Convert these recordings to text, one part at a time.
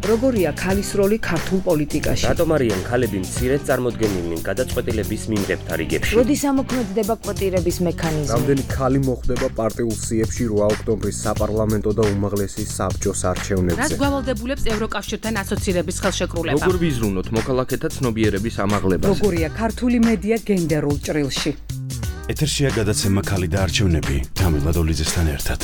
როგორია ქალის როლი ქართულ პოლიტიკაში? რატომ არიან ქალები მცირედ წარმოდგენილნი გადაწყვეტილების მიმდებთა რიგებში? როდის ამოქმედდება კვოტირების მექანიზმი? რამდენი ქალი მოხვდება პარტიულ სიებში 8 ოქტომბრის საპარლამენტო და უმაღლესი საბჭოს არჩევნებზე? რაც გვალდებულებს ევროკავშირთან ასოცირების ხელშეკრულება? როგორ ვიზრუნოთ მოქალაქეთა ცნობიერების ამაღლებაზე? როგორია ქართული მედია გენდერულ ჭრილში? ეთერშია გადაცემა ქალი და არჩევნები თამილ დოლიძესთან ერთად.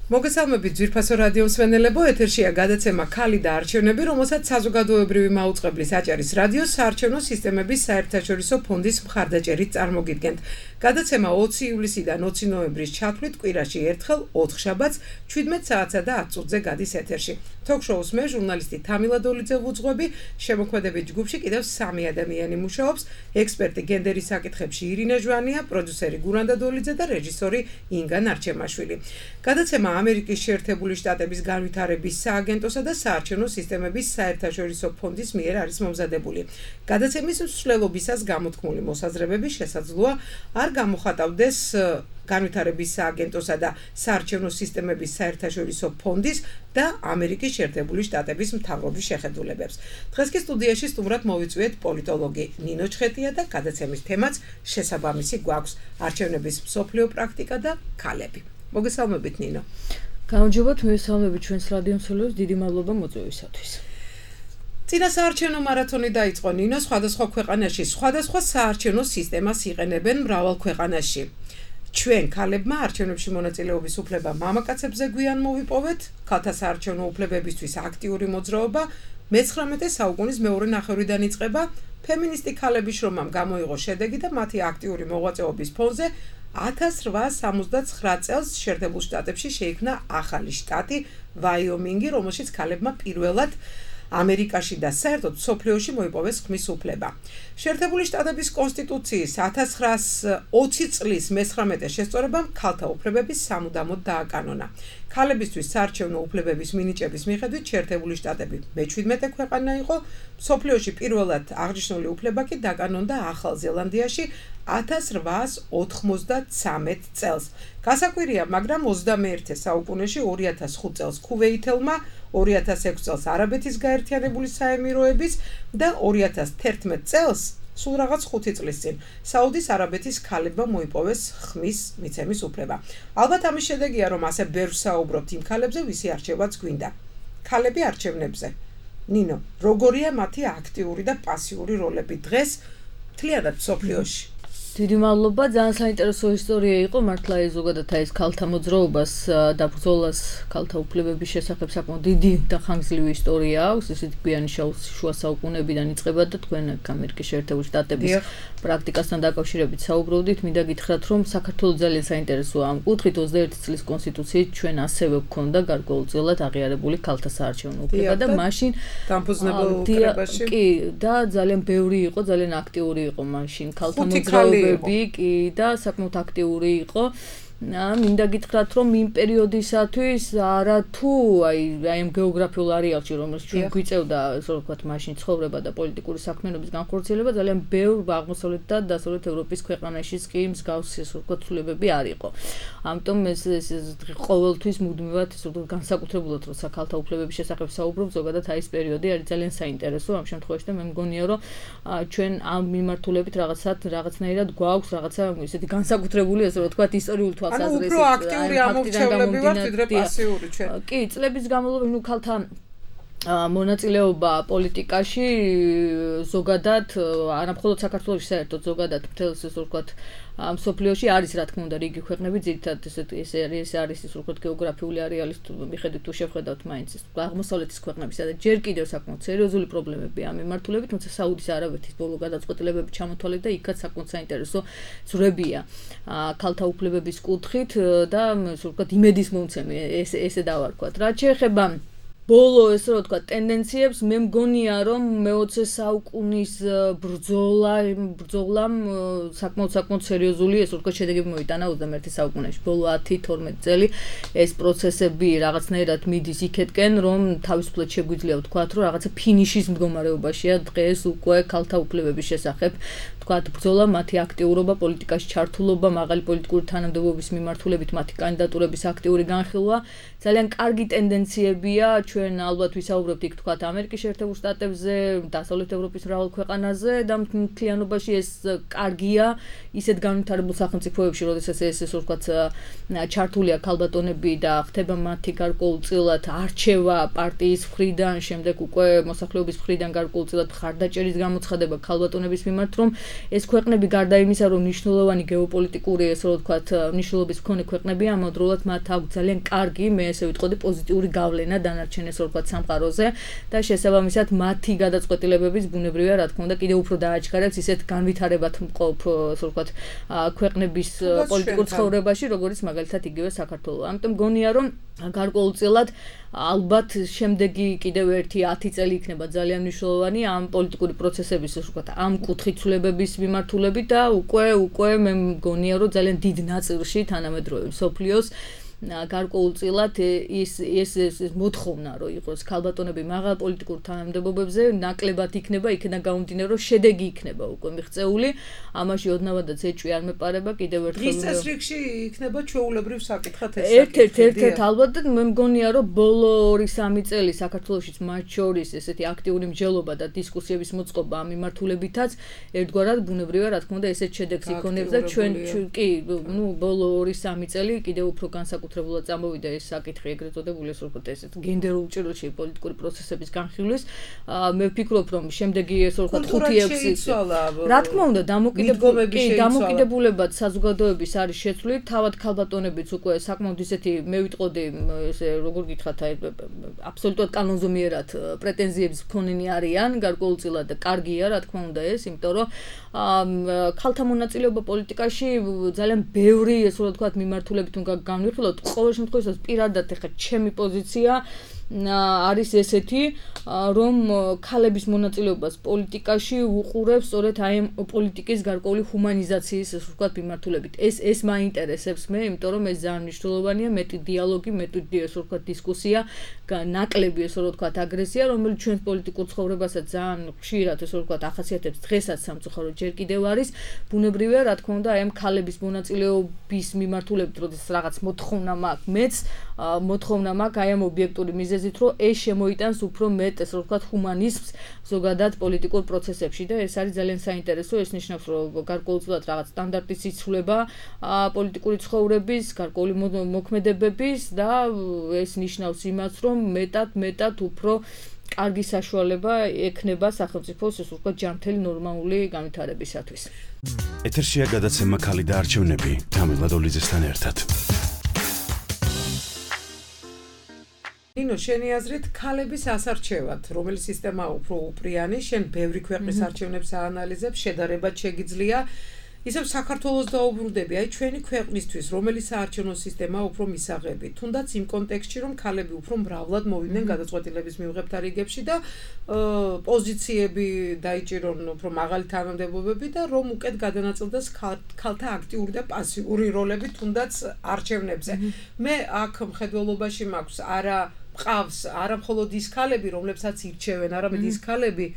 მოგესალმებით ძვირფასო რადიო მსმენელებო, ეთერშია გადაცემა ქალი და არჩევნები, რომელსაც საზოგადოებრივი მაუწყებლის აჭარის რადიოს საარჩევნო სისტემების საერთაშორისო ფონდის მხარდაჭერით წარმოგიდგენთ. გადაცემა 20 ივლისიდან 20 ნოემბრის ჩათვლით კვირაში ერთხელ 4 შაბათს 17 საათსა და 10 წუთზე გადის ეთერში. თოქ-შოუს მე ჟურნალისტი თამილა დოლიძე ვუძღვები, შემოქმედებით ჯგუფში კიდევ 3 ადამიანი მუშაობს, ექსპერტი გენდერის საკითხებში ირინე ჟვანია, პროდიუსერი გურანდა დოლიძე და რეჟისორი ინგა ნარჩემაშვილი. გადაცემა ამერიკის შეერთებული შტატების განვითარების სააგენტოსა და საარჩევნო სისტემების საერთაშორისო ფონდის მიერ არის მომზადებული. გადაცემის მსვლელობისას გამოთქმული მოსაზრებები შესაძლოა არ გამოხატავდეს განვითარების სააგენტოსა და საარჩევნო სისტემების საერთაშორისო ფონდის და ამერიკის შეერთებული შტატების მთავრობის შეხედულებებს. დღეს კი სტუდიაში სტუმრად მოვიწვიეთ პოლიტოლოგი ნინო ჩხეტია და გადაცემის თემაც შესაბამისი გვაქვს: არჩევნების მსოფლიო პრაქტიკა და ქალები. მოგესალმებით ნინო. გამარჯობათ, მოგესალმებით ჩვენს რადიო მსმენელებს, დიდი მადლობა მოწვევისათვის. წინა საარჩევნო მარათონი დაიწყო ნინო, სხვადასხვა ქვეყანაში სხვადასხვა საარჩევნო სისტემას იყენებენ მრავალ ქვეყანაში. ჩვენ ქალებმა არჩევნებში მონაწილეობის უფლება მამაკაცებზე გვიან მოვიპოვეთ, ქალთა საარჩევნო უფლებებისთვის აქტიური მოძრაობა მე-19 საუკუნის მეორე ნახევრიდან იწყება, ფემინისტი ქალების შრომამ გამოიღო შედეგი და მათი აქტიური მოღვაწეობის ფონზე 1879 წელს შეერთებულ შტატებში შეიქმნა ახალი შტატი ვაიომინგი, რომელშიც ქალებმა პირველად ამერიკაში და საერთოდ მსოფლიოში მოიპოვეს ხმის უფლება. შეერთებული შტატების კონსტიტუციის 1920 წლის მე-19 შესწორებამ ქალთა უფლებები სამუდამოდ დააკანონა. ქალებისთვის საარჩევნო უფლებების მინიჭების მიხედვით შეერთებული შტატები მე-17 ქვეყანა იყო, მსოფლიოში პირველად აღნიშნული უფლება კი დაკანონდა ახალ ზელანდიაში 1893 წელს. გასაკვირია, მაგრამ 21 საუკუნეში 2005 წელს ქუვეითელმა, 2006 წელს არაბეთის გაერთიანებული საემიროების და 2011 წელს სულ რაღაც 5 წლის წინ საუდის არაბეთის ქალებმა მოიპოვეს ხმის მიცემის უფლება. ალბათ ამის შედეგია, რომ ასე ბევრ საუბრობთ იმ ქალებზე, ვისი არჩევაც გვინდა. ქალები არჩევნებზე. ნინო, როგორია მათი აქტიური და პასიური როლები დღეს მთლიანად მსოფლიოში? დიდი მადლობა, ძალიან საინტერესო ისტორია იყო, მართლა ეს ზოგადად ეს ქალთა მოძრაობას და ბრძოლას ქალთა უფლებების შესახებ საკმაოდ დიდი და ხანგრძლივი ისტორია აქვს, ისეთი გვიანი შუა საუკუნეებიდან იწყება და თქვენ ამერიკის შეერთებული შტატების პრაქტიკასთან დაკავშირებით საუბრობდით. მინდა გითხრათ, რომ საქართველოს ძალიან საინტერესოა ამ კუთხით, 21 წლის კონსტიტუციით ჩვენ ასევე გვქონდა გარკვეულწილად აღიარებული ქალთა საარჩევნო უფლება და მაშინ დამფუძნებელ კრებაში კი და ძალიან ბევრი იყო, ძალიან აქტიური იყო მაშინ ქალთა მოძრაობა კი და საკმაოდ აქტიური იყო. მინდა გითხრათ, რომ იმ პერიოდისათვის არათუ აი ამ გეოგრაფიულ არეალში, რომელშიც ჩვენ გვიწევდა, ასე ვთქვათ, მაშინ ცხოვრება და პოლიტიკური საქმიანობის განხორციელება, ძალიან ბევრ აღმოსავლეთ და დასავლეთ ევროპის ქვეყანაშიც კი მსგავსი, ასე ვთქვათ, ცვლილებები არ იყო. ამიტომ ეს ყოველთვის მუდმივად, ასე ვთქვათ, განსაკუთრებულად როცა ქალთა უფლებების შესახებ საუბრობ, ზოგადად აი ეს პერიოდი არის ძალიან საინტერესო ამ შემთხვევაში და მე მგონია, რომ ჩვენ ამ მიმართულებით რაღაცნაირად გვაქვს რაღაცა ისეთი განსაკუთრებული, ასე ვთქვათ, ისტორიული ანუ უფრო აქტიური ამორჩევლები ვართ, ვიდრე პასიური ჩვენ. კი, წლების განმავლობაში ქალთა მონაწილეობა პოლიტიკაში ზოგადად, არამხოლოდ საქართველოში, საერთოდ ზოგადად მთელს ასე ვთქვათ, მსოფლიოში არის რა თქმა უნდა რიგი ქვეყნები, ძირითადად ეს არის ისე ვთქვათ გეოგრაფიული არეალის მიხედვით თუ შევხედავთ მაინც აღმოსავლეთის ქვეყნები, სადაც ჯერ კიდევ საკმაოდ სერიოზული პრობლემები ამ მიმართულებით, თუმცა საუდის არაბეთის ბოლო გადაწყვეტილებები ჩამოთვალეთ და იქაც საკმაოდ საინტერესო ძვრებია ქალთა უფლებების კუთხით და ასე ვთქვათ იმედის მომცემი ესე დავარქვათ. რაც შეეხება ბოლო ესე რომ ვთქვა ტენდენციებს მე მგონია რომ მე-20 საუკუნის ბრძოლამ საკმაოდ სერიოზული ესე ვთქვა შედეგები მოიტანა 21 საუკუნეში ბოლო 10-12 წელი ეს პროცესები რაღაცნაირად მიდის იქეთკენ რომ თავისუფლად შეგვიძლია ვთქვათ რომ რაღაცა ფინიშის მდგომარეობაშია დღეს უკვე ქალთა უფლებების შესახებ ვთქვათ ბრძოლა მათი აქტიურობა პოლიტიკაში ჩართულობა მაღალი პოლიტიკური თანამდებობის მიმართულებით მათი კანდიდატურების აქტიური განხილვა ძალიან კარგი ტენდენციებია ჩვენ ალბათ ვისაუბრებთ იქ თქვათ ამერიკის შეერთებულ შტატებზე, დასავლეთ ევროპის მრავალ ქვეყანაზე და მთლიანობაში ეს კარგია ისეთ განვითარებულ სახელმწიფოებში, როდესაც ეს ვთქვათ ჩართულია ქალბატონები და ხდება მათი გარკვეულწილად არჩევა პარტიის მხრიდან, შემდეგ უკვე მოსახლეობის მხრიდან გარკვეულწილად მხარდაჭერის გამოცხადება ქალბატონების მიმართ, რომ ეს ქვეყნები გარდა იმისა, რომ მნიშვნელოვანი გეოპოლიტიკური ესე ვთქვათ მნიშვნელობის მქონე ქვეყნებია, ამავდროულად მათ აქვს ძალიან კარგი, მე ესე ვიტყოდი პოზიტიური გავლენა დანარჩენ ესე ვთქვათ სამყაროზე და შესაბამისად მათი გადაწყვეტილებების ბუნებრივია რა თქმა უნდა კიდევ უფრო დააჩქარებს ისეთ განვითარებად მყოფ ასე ვთქვათ ქვეყნების პოლიტიკურ ცხოვრებაში როგორც მაგალითად იგივე საქართველო. ამიტომ გონია რომ გარკვეულწილად ალბათ შემდეგი კიდევ ერთი 10 წელი იქნება ძალიან მნიშვნელოვანი ამ პოლიტიკური პროცესების ასე ვთქვათ ამ კუთხით ცვლილებების მიმართულებით და უკვე მე მგონია რომ ძალიან დიდ ნაწილში თანამედროვე მსოფლიოს გარკვეულწილად ეს მოთხოვნა რომ იყოს ქალბატონები მაღალ პოლიტიკურ თანამდებობებზე ნაკლებად იქნება იქიდან გამომდინარე რომ შედეგი იქნება უკვე მიღწეული ამაში ოდნავადაც ეჭვი არ მეპარება კიდევ ერთხელ დღის წესრიგში იქნება ჩვეულებრივ საკითხად ეს ერთ-ერთ ალბათ მე მგონია რომ ბოლო 2-3 წელი საქართველოშიც მათ შორის ესეთი აქტიური მსჯელობა და დისკუსიების მოწყობა ამ მიმართულებითაც ერთგვარად ბუნებრივია რა თქმა უნდა ესეთ შედეგს იქონებს და ჩვენ კი ბოლო 2-3 წელი კიდევ უფრო განსაკუთრებულად წამოვიდა ეს საკითხი ეგრეთ წოდებული ეს ვთქვათ ესეთ გენდერულ ჭრილში პოლიტიკური პროცესების განხილვის მე ვფიქრობ რომ შემდეგი ეს ვთქვათ 5-6 რა თქმა უნდა დამოკიდებულებად საზოგადოების არის შეცვლილი თავად ქალბატონებიც უკვე საკმაოდ ისეთი მე ვიტყოდი ესე როგორ გითხრათ აბსოლუტურად კანონზომიერად პრეტენზიების მქონენი არიან გარკვეულწილად და კარგია რა თქმა უნდა ეს იმიტომ რომ ქალთა მონაწილეობა პოლიტიკაში ძალიან ბევრი ესე ვთქვათ მიმართულებით უნდა განვიხილოთ ყოველ შემთხვევაში პირადად ეხა ჩემი პოზიცია არის ესეთი რომ ქალების მონაწილეობას პოლიტიკაში უყურებს სწორედ აი პოლიტიკის გარკვეული ჰუმანიზაციის ასე ვთქვათ მიმართულებით ეს მაინტერესებს მე იმიტომ რომ ეს ძალიან მნიშვნელოვანია მეტი დიალოგი მეტი ასე ვთქვათ დისკუსია ნაკლები ასე ვთქვათ აგრესია რომელიც ჩვენს პოლიტიკურ ცხოვრებასაც ძალიან ხშირად ასე ვთქვათ ახასიათებს დღესაც სამწუხაროდ ჯერ კიდევ არის ბუნებრივია რა თქმა უნდა აი ამ ქალების მონაწილეობის მიმართულებით როდესაც რაღაც მოთხოვნა მაქვს მეც მოთხოვნა მაქვს აი ამ ობიექტური მიზეზით რომ ეს შემოიტანს უფრო მეტ ესე ვთქვათ ჰუმანიზმს ზოგადად პოლიტიკურ პროცესებში და ეს არის ძალიან საინტერესო ეს ნიშნავს რომ გარკვეულწილად რაღაც სტანდარტის იცვლება პოლიტიკური ცხოვრების გარკვეული მოქმედებების და ეს ნიშნავს იმას რომ მეტად უფრო კარგი საშუალება ექნება სახელმწიფოს ეს ვთქვათ ჯანმრთელი ნორმალური განვითარებისათვის. ეთერშია გადაცემა ქალი და არჩევნები თამილ ლადოლიძესთან ერთად. ნინო, შენი აზრით ქალების ასარჩევად, რომელი სისტემაა უფრო უპრიანი, შენ ბევრი ქვეყნის არჩევნებს აანალიზებ, შედარებად შეგიძლია, ისევ საქართველოს დაუბრუნდები, აი ჩვენი ქვეყნისთვის, რომელი საარჩევნო სისტემაა უფრო მისაღები, თუნდაც იმ კონტექსტში, რომ ქალები უფრო მრავლად მოვიდნენ გადაწყვეტილების მიღებთან რიგებში და პოზიციები დაიჭირონ უფრო მაღალი თანამდებობები და რომ უკეთ გადანაწილდეს ქალთა აქტიური და პასიური როლები თუნდაც არჩევნებზე. მე აქ მხედველობაში მაქვს ყავს არა მხოლოდ ის ქალები, რომლებსაც ირჩევენ, არამედ ის ქალები,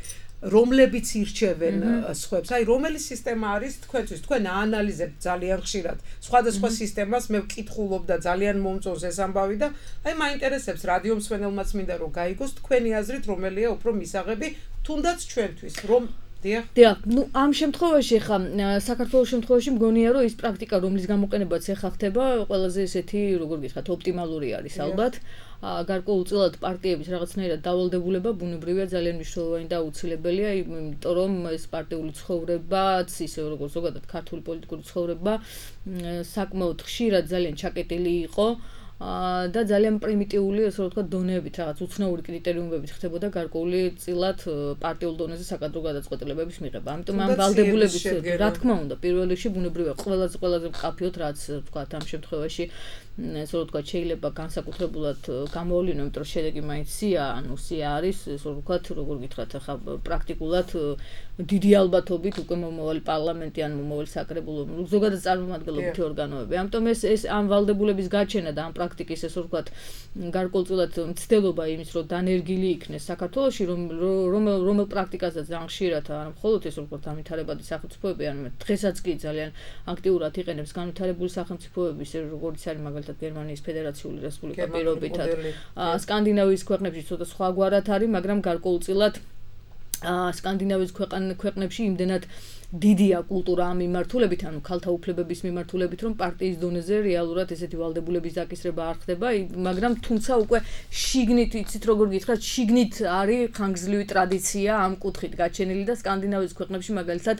რომლებიც ირჩევენ სხვებს. აი, რომელი სისტემა არის თქვენთვის? თქვენ აანალიზებთ ძალიან ხშირად სხვადასხვა სისტემას, მე ვკითხულობ და ძალიან მომწონს ეს ამბავი და აი, მაინტერესებს რადიო მსმენელმაც მინდა რომ გაიგოს თქვენი აზრით, რომელია უფრო მისაღები თუნდაც ჩვენთვის, რომ დიახ, ამ შემთხვევაში ხა საქართველოს შემთხვევაში მგონია რომ ის პრაქტიკა რომლის გამოყენებაც ეხა ხდება ყველაზე ესეთი როგორ გითხრათ ოპტიმალური არის ალბათ გარკვეულწილად პარტიების რაღაცნაირად დავალდებულება ბუნებრივია ძალიან მნიშვნელოვანი და აუცილებელია იმიტომ რომ ეს პარტიული ცხოვრებაც ისე როგორც ზოგადად ქართული პოლიტიკური ცხოვრება საკმაოდ ხშირად ძალიან ჩაკეტილი იყო და ძალიან პრიმიტიული, ასე ვთქვათ, დონეებით, რაღაც უცნაური კრიტერიუმებით ხდებოდა გარკვეული წილად პარტიულ დონეზე საკადრო გადაწყვეტილებების მიღება. ამიტომ ამ ვალდებულების, რა თქმა უნდა, პირველ რიგში ბუნებრივია ყველაზე მკაფიოდ, რაც ვთქვათ, ამ შემთხვევაში ასე ვთქვათ, შეიძლება განსაკუთრებულად გამოავლინო, იმიტომ რომ შედეგი მაინც სია არის, ასე ვთქვათ, როგორ გითხრათ, ახლა პრაქტიკულად დიდი ალბათობით უკვე მომავალი პარლამენტი ან მომავალი საკრებულო ზოგადად წარმომადგენლობითი ორგანოები. ამიტომ ეს ამ ვალდებულების გაჩენა და ამ პრაქტიკის ასე ვთქვათ, გარკვეულწილად მცდელობა იმის, რომ დანერგილი იქნეს საქართველოში, რომელ პრაქტიკასაც ძალიან ხშირად არა მხოლოდ ეს ვთქვათ, განვითარებადი სახელმწიფოები, ანუ დღესაც კი ძალიან აქტიურად იყენებს განვითარებული სახელმწიფოების, როგორც არის მაგალითად გერმანიის ფედერაციული რესპუბლიკა პირობითად. სკანდინავიის ქვეყნებში ცოტა სხვაგვარად არის, მაგრამ გარკვეულწილად სკანდინავიის ქვეყნებში იმდენად დიდია კულტურა ამ მიმართულებით, ანუ ქალთა უფლებების მიმართულებით, რომ პარტიის დონეზე რეალურად ესეთი ვალდებულების დაკისრება არ ხდება, მაგრამ თუმცა უკვე შიგნით, იცით როგორ გითხრათ, შიგნით არის ხანგრძლივი ტრადიცია ამ კუთხით გაჩენილი და სკანდინავიის ქვეყნებში მაგალითად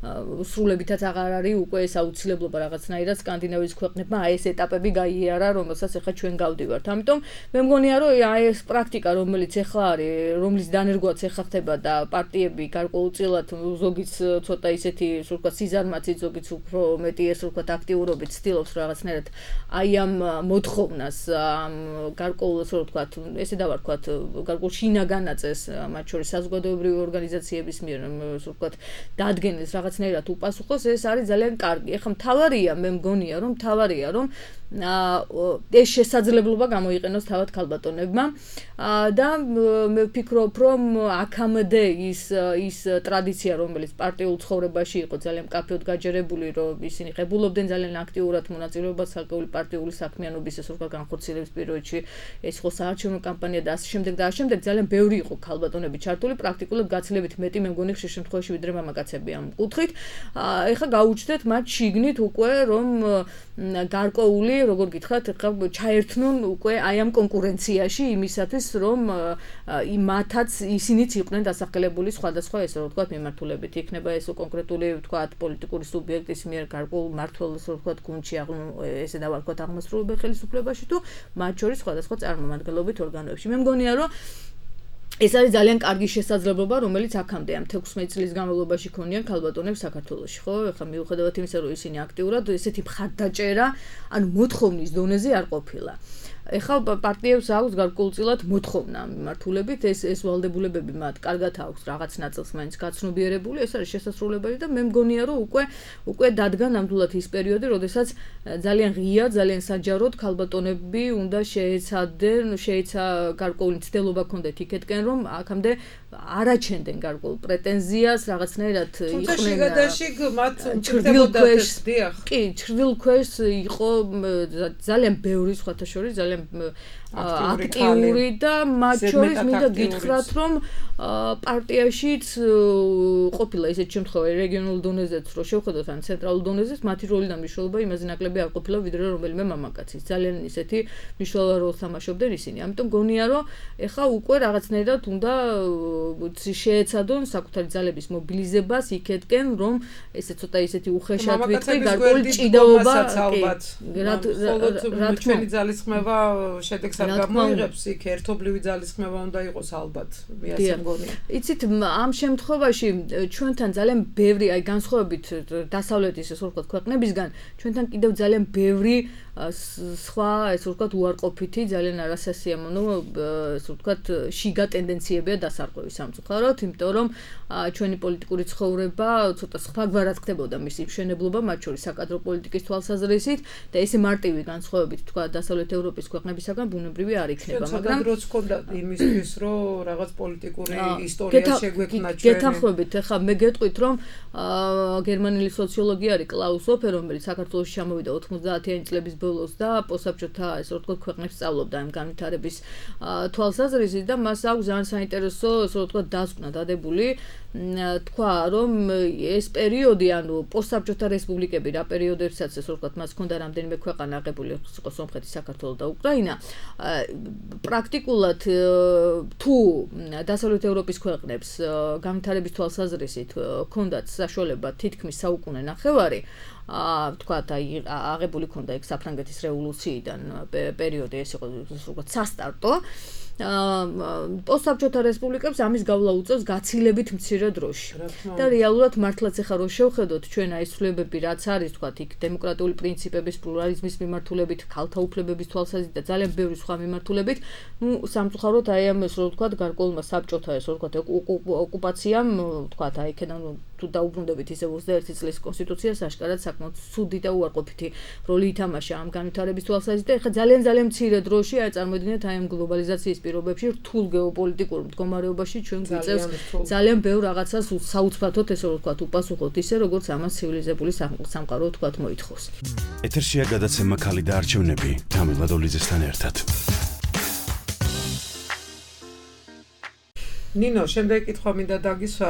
სრულებითაც აღარ არის უკვე ეს აუცილებლობა რაღაცნაირად სკანდინავიის ქვეყნებმა აი ეს ეტაპები გაიარა, რომელსაც ახლა ჩვენ გავდივართ. ამიტომ მე მგონია, რომ აი ეს პრაქტიკა, რომელიც ახლა არის, რომლის დანერგვაც ახლა ხდება და პარტიები გარკვეულწილად ზოგიც ცოტა ისეთი, ასე ვთქვათ, სიზარმაცით, ზოგიც უფრო მეტი, ასე ვთქვათ, აქტიურობით ცდილობს რაღაცნაირად აი ამ მოთხოვნას, გარკვეულ, ასე ვთქვათ, ესე დავარქვათ, გარკვეულ შინაგანაწეს, მათ შორის საზოგადოებრივი ორგანიზაციების მიერ, ასე ვთქვათ, დადგენილს რაღაცნაირად უპასუხოს, ეს არის ძალიან კარგი. ეხლა მთავარია, მე მგონია, რომ ეს შესაძლებლობა გამოიყენოს თავად ქალბატონებმა და მე ვფიქრობ, რომ აქამდე ის ტრადიცია, რომელიც პარტიულ ცხოვრებაში იყო ძალიან მკაფიოდ გაჯერებული, რომ ისინი ღებულობდნენ ძალიან აქტიურად მონაწილეობას საკუთარი პარტიული საქმიანობის ეს ვთქვათ განხორციელების პირობებში, ეს ხო საარჩევნო კამპანია და ასე შემდეგ და ასე შემდეგ, ძალიან ბევრი იყო ქალბატონები ჩართული, პრაქტიკულად გაცილებით მეტი მე მგონი ხშირ შემთხვევაში ვიდრე მამაკაცები ამ კუთხით. ეხლა გაუჩნდეთ მათ შიგნით უკვე, რომ გარკვეული, როგორ გითხრათ, ახლა ჩაერთნონ უკვე აი ამ კონკურენციაში იმისათვის, რომ მათაც ისინიც იყვნენ დასახელებული სხვადასხვა ესე ვთქვათ მიმართულებით. იქნება ეს კონკრეტული ვთქვათ პოლიტიკური სუბიექტის მიერ გარკვეულ მმართველს ვთქვათ გუნდში ესე დავარქვათ აღმასრულებელ ხელისუფლებაში თუ მათ შორის სხვადასხვა წარმომადგენლობით ორგანოებში. მე მგონია, რომ ეს არის ძალიან კარგი შესაძლებლობა, რომელიც აქამდე ამ 16 წლის განმავლობაში ქონიან ქალბატონებს საქართველოში, ხო? ეხლა მიუხედავად იმისა, რომ ისინი აქტიურად ესეთი მხარდაჭერა, ანუ მოთხოვნის დონეზე არ ყოფილა. ეხლა პარტიებს აქვს გარკვეულწილად მოთხოვნა მიმართულებით, ეს ვალდებულებები მათ კარგად აქვს რაღაც ნაწილს მაინც გაცნობიერებული, ეს არის შესაძლებელი და მე მგონია, რომ უკვე დადგა ნამდვილად ის პერიოდი, როდესაც ძალიან ღია, ძალიან საჯაროდ ქალბატონები უნდა შეეცა გარკვეული ცდელობა ქონდეთ იქეთკენ, რომ აქამდე არაჩენდნენ გარკვეულ პრეტენზიას, რაღაცნაირად იყვნენ ჩრდილქვეშ იყო ძალიან ბევრი სხვათა შორის ძალიან აქტიური და მათ შორის მინდა გითხრათ, რომ პარტიაშიც ყოფილა ისეთ შემთხვევაში რეგიონულ დონეზეც, რომ შევხედოთ ან ცენტრალურ დონეზეც, მათი როლი და მნიშვნელობა იმაზე ნაკლები არ ყოფილა ვიდრე რომელიმე მამაკაცის. ძალიან ისეთი მნიშვნელოვანი როლს თამაშობდნენ ისინი. ამიტომ გონია, რომ ეხლა უკვე რაღაცნაირად უნდა შეეცადონ საკუთარი ძალების მობილიზებას იქეთკენ, რომ ესე ცოტა ისეთი უხეშად ვიტყვი, გარკვეული ჭიდაობა, რა ჩვენი ძალისხმევა შედეგს არ გამოიღებს, იქ ერთობლივი ძალისხმევა უნდა იყოს ალბათ, მე ასე მგონია. იცით, ამ შემთხვევაში ჩვენთან ძალიან ბევრი, აი განსხვავებით დასავლეთის ესე ვთქვათ ქვეყნებისგან, ჩვენთან კიდევ ძალიან ბევრი სხვა ესე ვთქვათ უარყოფითი, ძალიან არასასიამოვნო ესე ვთქვათ შიგა ტენდენციებია დასარღვევის სამწუხაროდ, იმიტომ რომ ჩვენი პოლიტიკური ცხოვრება ცოტა სხვაგვარად ხდებოდა მისი მშენებლობა, მათ შორის საკადრო პოლიტიკის თვალსაზრისით და ესე მარტივი განსხვავებით თქვა დასავლეთ ევროპის ქვეყნებისაგან ბუნებრივი არ იქნება, მაგრამ დროც ჰქონდა იმისთვის, რომ რაღაც პოლიტიკური ისტორია შეგვექმნა ჩვენ. გეთანხმებით, ახლა მე გეტყვით, რომ გერმანელი სოციოლოგი არის კლაუს ოფერ, რომელიც საქართველოში ჩამოვიდა 90-იანი წლების ბოლოს და პოსტსაბჭოთა ესე ვთქვათ ქვეყნებს სწავლობდა ამ განვითარების თვალსაზრისით და მას აქვს ძალიან საინტერესო ესე ვთქვათ დასკვნა დადებული. თქვა, რომ ეს პერიოდი, ანუ პოსტსაბჭოთა რესპუბლიკები, რა პერიოდებსაც ესე ვთქვათ, მას ჰქონდა რამდენიმე ქვეყანა აღებული, იყო სომხეთი, საქართველო და უკრაინა. პრაქტიკულად თუ დასავლეთ ევროპის ქვეყნებს განვითარების თვალსაზრისით ჰქონდათ საშუალება თითქმის საუკუნე ნახევარი, თქვათ აი აღებული ქონდა ეგ საფრანგეთის რევოლუციიდან პერიოდი ეს იყო როგორც სასტარტო პოსტსაბჭოთა რესპუბლიკებს ამის გავლა უწევს გაცილებით მცირე დროში და რეალურად მართლაც ახლა რო შევხედოთ ჩვენ აი ცვლილებები რაც არის თქვათ იქ დემოკრატიული პრინციპების პლურალიზმის მიმართულებით ქალთა უფლებების თვალსაზრისით და ძალიან ბევრი სხვა მიმართულებით სამწუხაროდ აი ამ ეს რო ვთქვათ გარკვეულმა საბჭოთა ეს რო ვთქვათ ოკუპაციამ ვთქვათ აი იქიდან თუ დაუბრუნდებით ისე 21 წლის კონსტიტუციას აშკარად საკმაოდ ცუდი და უარყოფითი როლი ითამაშა ამ განვითარების თვალსაზრისით და ახლა ძალიან მცირე დროში აი წარმოიდგინეთ აი ამ გლობალიზაციის პირობებში რთულ გეოპოლიტიკურ მდგომარეობაში ჩვენ გვიწევს ძალიან ბევრ რაღაცას საუცბათოდ ესე რომ ვთქვათ უპასუხოთ ისე როგორც ამას ცივილიზებული სამყარო ვთქვათ მოითხოვს. ეთერშია გადაცემა ქალი და არჩევნები თამილ ლადოლიძესთან ერთად. ნინო, შემდეგ კითხვა მინდა დაგისვა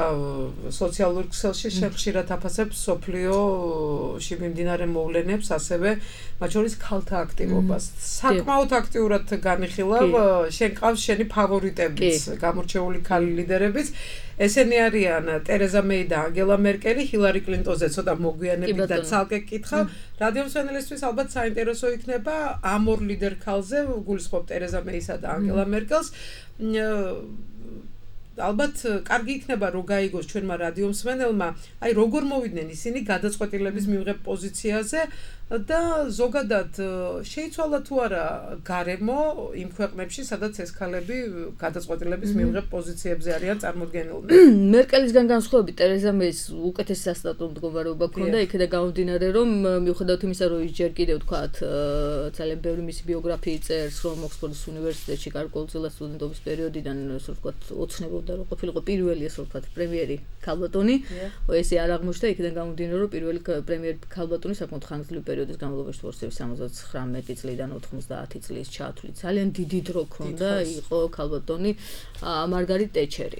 სოციალურ ქსელში ხშირად აფასებს სოფლიოში მიმდინარე მოვლენებს, ასევე მათ შორის ქალთა აქტივობას. საკმაოდ აქტიურად განიხილავ, შენ ყავს შენი ფავორიტებიც, გამორჩეული ქალი ლიდერებიც. ესენი არიან ტერეზა მეი და ანგელა მერკელი, ჰილარი კლინტონზე ცოტა მოგვიანებით და ცალკე კითხავ. რადიო მსმენელისთვის ალბათ საინტერესო იქნება ამ ორ ლიდერ ქალზე, გულისხმობ ტერეზა მეისა და ანგელა მერკელს. ალბათ კარგი იქნება რომ გაიგოს ჩვენმა რადიო მსმენელმა, აი როგორ მოვიდნენ ისინი გადაწყვეტილების მიღებ პოზიციაზე და ზოგადად შეიცვალა თუ არა გარემო იმ ქვეყნებში, სადაც ეს ქალები გადაწყვეტილების მიღებ პოზიციებზე არიან წარმოდგენილნი. მერკელისგან განსხვავებით ტერეზა მეის უკეთესი სასტარტო მდგომარეობა ჰქონდა, იქედა გამომდინარე რომ მიუხედავად იმისა, რომ ის ჯერ კიდევ ვთქვათ ძალიან ბევრი მისი ბიოგრაფიი წერს, რომ ოქსფორდის უნივერსიტეტში გარკვეულწილად სტუდენტობის პერიოდიდან ასე ვთქვათ ოცნებობდა რომ ყოფილიყო პირველი ასე ვთქვათ პრემიერი ქალბატონი, ესე არ აღმოჩნდა, იქიდან გამომდინარე რომ პირველი პრემიერი ქალბატონი საკმაოდ ხანგრძლივი პერიოდის განმავლობაში ვორცევი 79 წლიდან 90 წლის ჩათვლით. ძალიან დიდი დრო ჰქონდა, იყო ქალბატონი მარგარიტ ტეჩერი.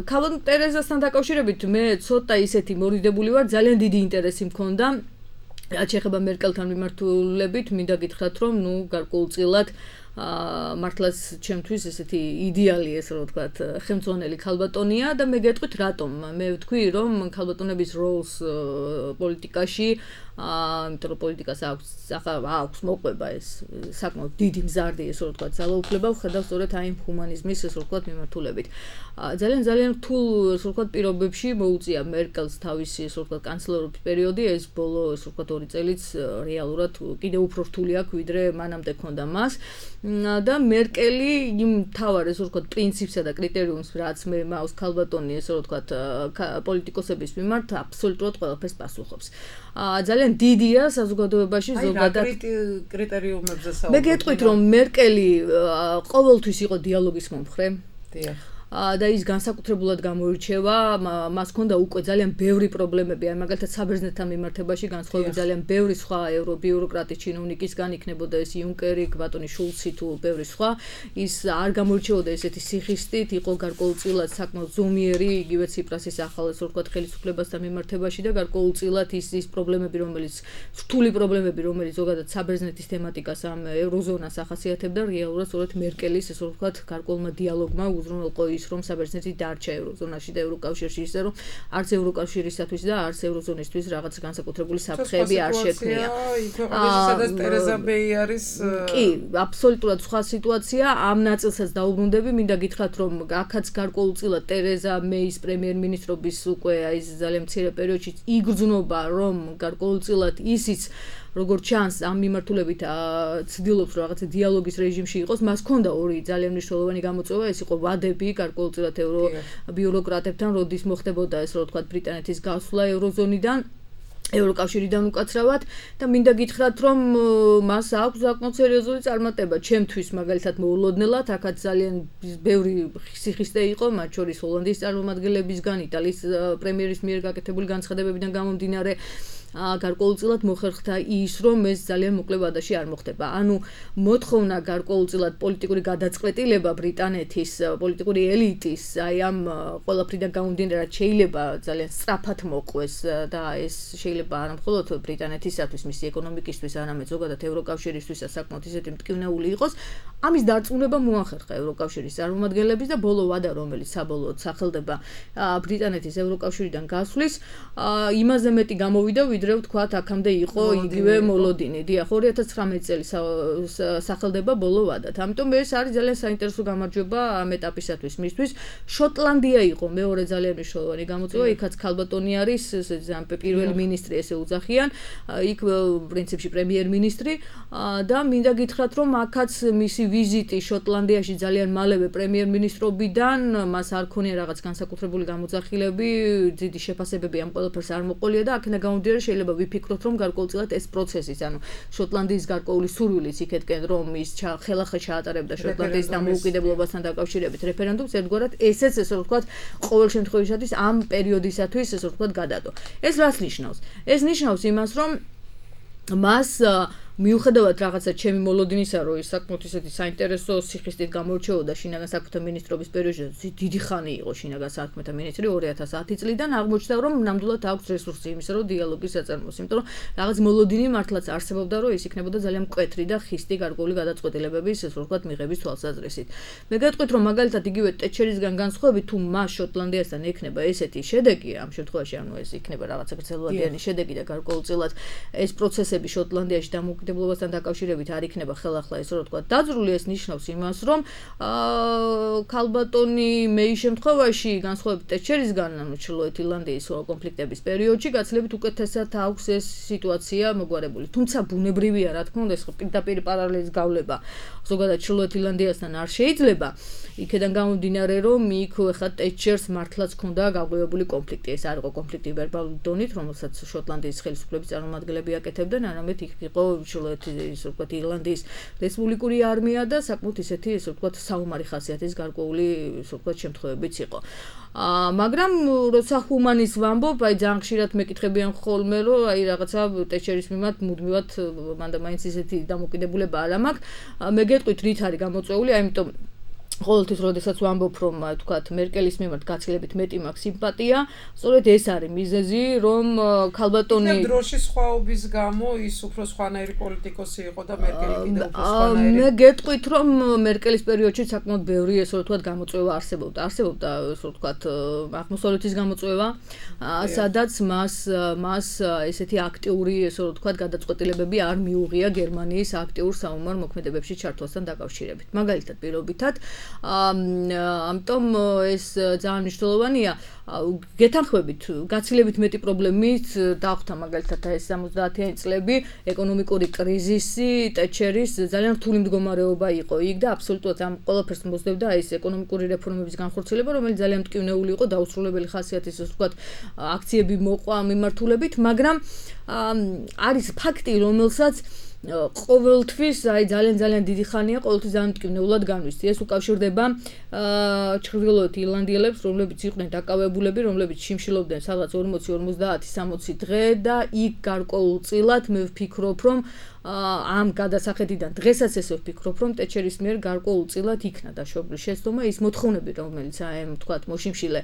ქალბატონ ტერეზასთან დაკავშირებით მე ცოტა ისეთი მორიდებული ვარ, ძალიან დიდი ინტერესი მქონდა. რაც შეეხება მერკელთან მიმართულებით, მინდა გითხრათ, რომ ნუ გარკვეულწილად მართლაც ჩემთვის ესეთი იდეალი ეს რო ვთქვათ ხელმძღვანელი ქალბატონია და მე გეტყვით რატომ მე ვთქვი რომ ქალბატონების როლს პოლიტიკაში იმიტომ რომ პოლიტიკას აქვს მოყვება ეს საკმაოდ დიდი მზარდი ეს რო ვთქვათ ძალაუფლება ვხედავ სწორედ აი ჰუმანიზმის ეს რო ვთქვათ მიმართულებით ძალიან რთულ ეს რო ვთქვათ პირობებში მოუწია მერკელს თავისი ეს რო ვთქვათ კანცლერობის პერიოდი ეს ბოლო ეს რო ვთქვათ 2 წელიც რეალურად კიდევ უფრო რთული აქვს ვიდრე მანამდე ქონდა მას და მერკელი იმ თავარ ეს რო ვთქვათ პრინციპსა და კრიტერიუმს რაც მე მაქვს ქალბატონი ეს რო ვთქვათ პოლიტიკოსების მიმართ აბსოლუტურად ყველაფერს პასუხობს ძალიან დიდია საზოგადოებაში ზოგადად კრიტერიუმებზე საუბრობთ მე გეტყვით რომ მერკელი ყოველთვის იყო დიალოგის მომხრე დიახ და ის განსაკუთრებულად გამოირჩევა, მას ჰქონდა უკვე ძალიან ბევრი პრობლემები, აი მაგალითად საბერძნეთთან მიმართებაში განსხვავებით ძალიან ბევრი სხვა ევრობიუროკრატის ჩინოვნიკისგან იქნებოდა ეს იუნკერი, ბატონი შულცი თუ ბევრი სხვა, ის არ გამოირჩეოდა ესეთი სიხისტით, იყო გარკვეულწილად საკმაოდ ზომიერი, იგივე ციპრასის ახალ ეს ვთქვათ ხელისუფლებასთან მიმართებაში და გარკვეულწილად ის პრობლემები, რომელიც რთული პრობლემები, რომელიც ზოგადად საბერძნეთის თემატიკას ამ ევროზონას ახასიათებდა, რეალურად სწორედ მერკელის ეს ვთქვათ გარკვეულმა დიალოგმა უზრუნველყო რომ საბერძნეთი დარჩა ევროზონაში და ევროკავშირში ისე რომ არც ევროკავშირისათვის და არც ევროზონისთვის რაღაც განსაკუთრებული საფრთხეები არ შექმნია. სადაც ტერეზა მეი არის კი, აბსოლუტურად სხვა სიტუაცია. ამ ნაწილსაც დაუბრუნდები, მინდა გითხრათ რომ აქაც გარკვეულწილად ტერეზა მეის პრემიერ-მინისტრობის უკვე აი ძალიან მცირე პერიოდში იგრძნობა რომ გარკვეულწილად ისიც როგორც ჩანს ამ მიმართულებით ცდილობს რომ რაღაცა დიალოგის რეჟიმში იყოს, მას ჰქონდა ორი ძალიან მნიშვნელოვანი გამოწვევა, ეს იყო ვადები გარკვეულწილად ევრობიუროკრატებთან, როდის მოხდებოდა ეს რო ვთქვათ ბრიტანეთის გასვლა ევროზონიდან ევროკავშირიდან უკაცრავად და მინდა გითხრათ რომ მას აქვს საკმაოდ სერიოზული წარმატება ჩემთვის მაგალითად მოულოდნელად აქაც ძალიან ბევრი სიხისტე იყო მათ შორის ჰოლანდიის წარმომადგენლებისგან იტალიის პრემიერის მიერ გაკეთებული განცხადებებიდან გამომდინარე გარკვეულწილად მოხერხდა ის, რომ ეს ძალიან მოკლე ვადაში არ მოხდება. ანუ მოთხოვნა გარკვეულწილად პოლიტიკური გადაწყვეტილება ბრიტანეთის პოლიტიკური ელიტის აი ამ ყველაფრიდან გამომდინარე შეიძლება ძალიან სწრაფად მოყვეს და ეს შეიძლება არა მხოლოდ ბრიტანეთისათვის, მისი ეკონომიკისთვის, არამედ ზოგადად ევროკავშირისთვისაც საკმაოდ ისეთი მტკივნეული იყოს. ამის დარწმუნება მოახერხა ევროკავშირის წარმომადგენლების და ბოლო ვადა, რომელიც საბოლოოდ სახელდება ბრიტანეთის ევროკავშირიდან გასვლის, იმაზე მეტი გამოვიდა, ვიდრე ვთქვათ, აქამდე იყო იგივე მოლოდინი. დიახ, 2019 წელი სახელდება ბოლო ვადად. ამიტომ ეს არის ძალიან საინტერესო გამარჯვება ამ ეტაპისათვის მისთვის. შოტლანდია იყო მეორე ძალიან მნიშვნელოვანი გამოწვევა, იქაც ქალბატონი არის, პირველი მინისტრი ესე უძახიან, იქ პრინციპში პრემიერ-მინისტრი და მინდა გითხრათ, რომ აქაც მისი ვიზიტი შოტლანდიაში ძალიან მალევე პრემიერ-მინისტრობიდან მას არ ქონია რაღაც განსაკუთრებული გამოძახილები, დიდი შეფასებები ამ ყველაფერს არ მოყოლია და აქედან გამომდინარე შეიძლება ვიფიქროთ, რომ გარკვეულწილად ეს პროცესის, ანუ შოტლანდიის გარკვეული სურვილიც იქეთკენ, რომ ის ხელახლა ჩაატარებდა შოტლანდიის დამოუკიდებლობასთან დაკავშირებით რეფერენდუმს, ერთგვარად ესეც ესე ვთქვათ, ყოველ შემთხვევაში ამ პერიოდისათვის ესე ვთქვათ გადადო. ეს რას ნიშნავს? ეს ნიშნავს იმას, რომ მას მიუხედავად რაღაცა ჩემი მოლოდინისა, რომ ის საკმაოდ ისეთი საინტერესო სიხისტით გამორჩეოდა შინაგან საქმეთა მინისტრობის პერიოდში, დიდი ხანი იყო შინაგან საქმეთა მინისტრი 2010 წლიდან, აღმოჩნდა, რომ ნამდვილად აქვს რესურსი იმისა, რომ დიალოგის აწარმოოს, იმიტომ რომ რაღაც მოლოდინი მართლაც არსებობდა, რომ ის იქნებოდა ძალიან მკვეთრი და ხისტი გარკვეული გადაწყვეტილებების, ესე ვთქვათ, მიღების თვალსაზრისით. მე გეტყვით, რომ მაგალითად იგივე ტეჩერისგან განსხვავებით, თუ მას შოტლანდიასთან ექნება ესეთი შედეგი, ამ შემთხვევაში ანუ ეს იქნება რაღაცა გრძელვადიანი შედეგი და გარკვეულწილად ეს პროცესები შოტლანდიაში დამოუკიდებლობასთან დაკავშირებით არ იქნება ხელახლა ესე რომ ვთქვათ დაძრული, ეს ნიშნავს იმას, რომ ქალბატონი მეის შემთხვევაში განსხვავებით ტეჩერისგან, ანუ ჩრდილოეთ ირლანდიის კონფლიქტების პერიოდში გაცილებით უკეთესად აქვს ეს სიტუაცია მოგვარებული. თუმცა ბუნებრივია, რა თქმა უნდა, ეს პირდაპირ პარალელის გავლება ზოგადად ჩრდილოეთ ირლანდიასთან არ შეიძლება. იქედან გამომდინარე, რომ იქ ხა ტეჩერს მართლაც ჰქონდა გაღვივებული კონფლიქტი. ეს არ იყო კონფლიქტი ვერბალური დონით, რომელსაც შოტლანდიის ხელისუფლების წარმომადგენლები აკეთებდნენ, არამედ იქ იყო ჩრდილოეთის ვთქვათ ირლანდიის რესპუბლიკური არმია და საკმაოდ ისეთი ესე ვთქვათ საომარი ხასიათის გარკვეული ესე ვთქვათ შემთხვევებიც იყო. მაგრამ როცა ჰუმანის ვამბობ, აი ძალიან ხშირად მეკითხებიან ხოლმე, რომ აი რაღაცა ტეჩერის მიმართ მუდმივად მანდა მაინც ისეთი დამოკიდებულება არ მაქვს. მე გეტყვით, რით არის გამოწვეული, ამიტომ ყოველთვის როდესაც ვამბობ, რომ თქვათ მერკელის მიმართ გაცილებით მეტი მაქვს სიმპათია, სწორედ ეს არის მიზეზი, რომ ქალბატონი დროშის სხვაობის გამო ის უფრო სხვანაირი პოლიტიკოსი იყო და მერკელი კიდევ უფრო სხვანაირი. მე გეტყვით, რომ მერკელის პერიოდში საკმაოდ ბევრი ესე ვთქვათ გამოწვევა არსებობდა, ესე ვთქვათ აღმოსავლეთის გამოწვევა, სადაც მას ესეთი აქტიური ესე ვთქვათ გადაწყვეტილებები არ მიუღია გერმანიის აქტიურ საომარ მოქმედებებში ჩართვასთან დაკავშირებით. მაგალითად, პირობითად ამიტომ ეს ძალიან მნიშვნელოვანია. გეთანხმებით, გაცილებით მეტი პრობლემით დახვდა მაგალითად ეს 70-იანი წლები, ეკონომიკური კრიზისი, ტეჩერის ძალიან რთული მდგომარეობა იყო იქ და აბსოლუტურად ამ ყველაფერს მოსდევდა ეს ეკონომიკური რეფორმების განხორციელება, რომელიც ძალიან მტკივნეული იყო, დაუსრულებელი ხასიათის, ასე ვთქვათ, აქციები მოყვა მიმართულებით, მაგრამ არის ფაქტი, რომელსაც ყოველთვის აი ძალიან დიდი ხანია ყოველთვის ძალიან მტკივნეულად განვისწი. ეს უკავშირდება ჩრდილოეთ ირლანდიელებს, რომლებიც იყვნენ დაკავებულები, რომლებიც შიმშილობდნენ სადღაც 40-50-60 დღე და იქ გარკვეულწილად მე ვფიქრობ, რომ ამ გადასახედიდან დღესაც ესე ვფიქრობ, რომ ტეჩერის მიერ გარკვეულწილად იქნა დაშვებული შეცდომა ის მოთხოვნები, რომელიც აი თქვათ მოშიმშილე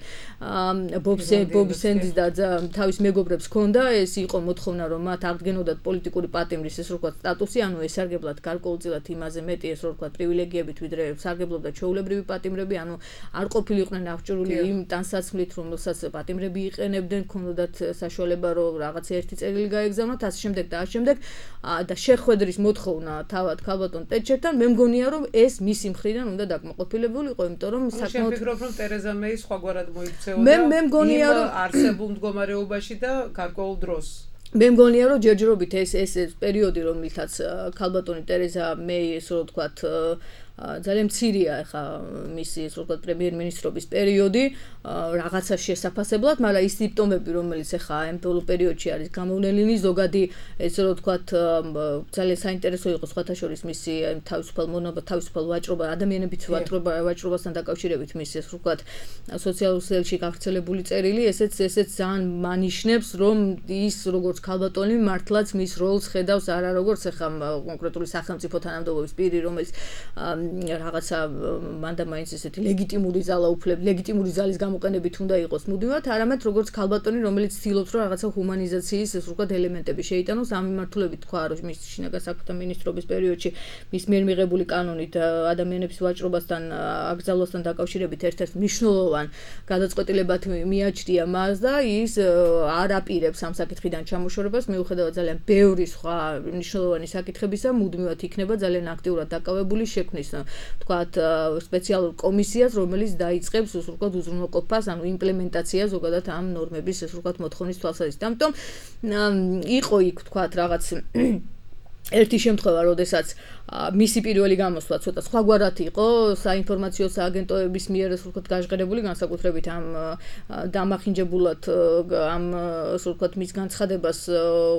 ბობ სენდის და თავის მეგობრებს ჰქონდა, ეს იყო მოთხოვნა, რომ მათ აღდგენოდათ პოლიტიკური პატიმრის ეს ვთქვათ სტატუსი, ანუ ესარგებლად გარკვეულწილად იმაზე მეტი ეს ვთქვათ პრივილეგიებით, ვიდრე სარგებლობდა ჩვეულებრივი პატიმრები, ანუ არ ყოფილიყვნენ აღჭურვილი იმ ტანსაცმლით, რომელსაც პატიმრები იყენებდნენ, ჰქონდათ საშუალება, რომ რაღაც ერთი წერილი გაეგზავნათ, ასე შემდეგ და ასე შემდეგ და შეხვედრის მოთხოვნა თავად ქალბატონ ტეჩერთან, მე მგონია, რომ ეს მისი მხრიდან უნდა დაკმაყოფილებული იყო, იმიტომ რომ საკმაოდ ვფიქრობ, რომ ტერეზა მეი სხვაგვარად მოიქცეოდა მე მგონია, რომ არსებულ მდგომარეობაში და გარკვეულ დროს. მე მგონია, რომ ჯერჯერობით ეს პერიოდი, რომელთაც ქალბატონი ტერეზა მეი, ესე რომ ვთქვათ, ძალიან მცირეა ახლა მისი ეს როგორც პრემიერ-მინისტრობის პერიოდი რაღაცა შესაფასებლად, მაგრამ ის სიმპტომები, რომელიც ახლა ამ ბოლო პერიოდში არის გამოვლენილი, ზოგადი ესე რომ ვთქვათ, ძალიან საინტერესო იყო სხვათა შორის მისი თავისუფალ ვაჭრობა, ადამიანების ვაჭრობასთან დაკავშირებით მისი ეს ვთქვათ, სოციალურ ქსელში გავრცელებული წერილი, ესეც ძალიან მანიშნებს, რომ ის როგორც ქალბატონი მართლაც მის როლს ხედავს არა როგორც ახლა კონკრეტული სახელმწიფო თანამდებობის პირი, რომელიც რაღაცა მანდა მაინც ესეთი ლეგიტიმური ზალის გამოყენებით უნდა იყოს მუდმივად, არამედ როგორც ქალბატონი, რომელიც ცდილობს რომ რაღაცა ჰუმანიზაციის ეს ვთქვათ ელემენტები შეიტანოს, ამ მიმართულებით თქვა რომ მის შინაგან საქმეთა მინისტრობის პერიოდში მის მიერ მიღებული კანონით ადამიანების ვაჭრობასთან აკრძალვასთან დაკავშირებით ერთ-ერთ მნიშვნელოვან გადაწყვეტილებად მიაჩნია მას და ის არ აპირებს ამ საკითხიდან ჩამოშორებას, მიუხედავად ძალიან ბევრი სხვა მნიშვნელოვანი საკითხებისა, მუდმივად იქნება ძალიან აქტიურად დაკავებული შექმნის ვთქვათ სპეციალურ კომისიას, რომელიც დაიწყებს ეს ვთქვათ უზრუნველყოფას, ანუ იმპლემენტაციას ზოგადად ამ ნორმების ეს ვთქვათ მოთხოვნის თვალსაზრისით. ამიტომ იყო იქ ვთქვათ რაღაც ერთი შემთხვევა, როდესაც მისი პირველი გამოსვლა ცოტა სხვაგვარად იყო საინფორმაციო სააგენტოების მიერ ეს ვთქვათ გაჟღერებული, განსაკუთრებით ამ დამახინჯებულად ამ ასე ვთქვათ მის განცხადებას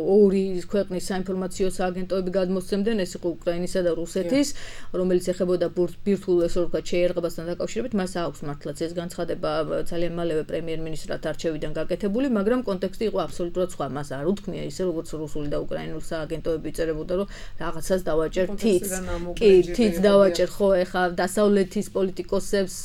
ორი ქვეყნის საინფორმაციო სააგენტოები გადმოსცემდნენ, ეს იყო უკრაინისა და რუსეთის, რომელიც ეხებოდა ბირთვულ ასე ვთქვათ შეიარაღებასთან დაკავშირებით, მას აქვს მართლაც ეს განცხადება ძალიან მალევე პრემიერ-მინისტრად არჩევიდან გაკეთებული, მაგრამ კონტექსტი იყო აბსოლუტურად სხვა, მას არ უთქმია ისე როგორც რუსული და უკრაინული სააგენტოები წერებოდა, რომ რაღაცას დავაჭერ თიც დავაჭერ ხო ეხა დასავლეთის პოლიტიკოსებს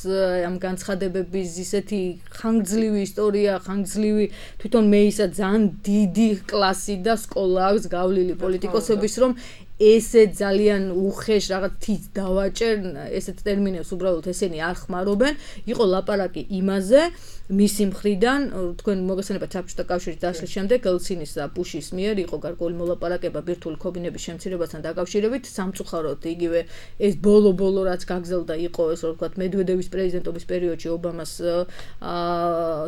ამ განცხადებების ისეთი ხანგრძლივი ისტორია, ხანგრძლივი თვითონ მეისა ძალიან დიდი კლასი და სკოლა აქვს გავლილი პოლიტიკოსების, რომ ესე ძალიან უხეშ რაღაც თიც დავაჭერ, ესეთ ტერმინებს უბრალოდ ესენი არ ხმარობენ. იყო ლაპარაკი იმაზე, მისი მხრიდან, თქვენ მოგესალმებით საბჭოთა კავშირის დაშლის შემდეგ ელცინის და ბუშის მიერ იყო გარკვეული მოლაპარაკება ბირთვული ქობინების შემცირებასთან დაკავშირებით, სამწუხაროდ იგივე ეს ბოლო რაც გაგზელდა იყო ეს ვთქვათ მედვედევის პრეზიდენტობის პერიოდში ობამას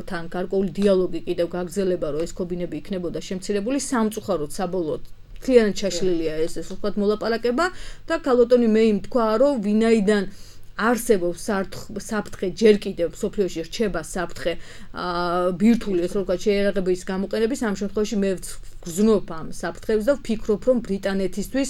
თან გარკვეული დიალოგი კიდევ გაგზელება, რომ ეს ქობინები იქნებოდა შემცირებული, სამწუხაროდ საბოლოოდ ძალიან ჩაშლილია ეს ვთქვათ მოლაპარაკება და ქალბატონი მეიმ თქვა, რომ ვინაიდან არსებობს საფრთხე ჯერ კიდევ სოფლიოში რჩება საფრთხე ბირთვული ეს ვთქვათ შეიარაღების გამოყენების, ამ შემთხვევაში მე გრძნობ ამ საფრთხებს და ვფიქრობ, რომ ბრიტანეთისთვის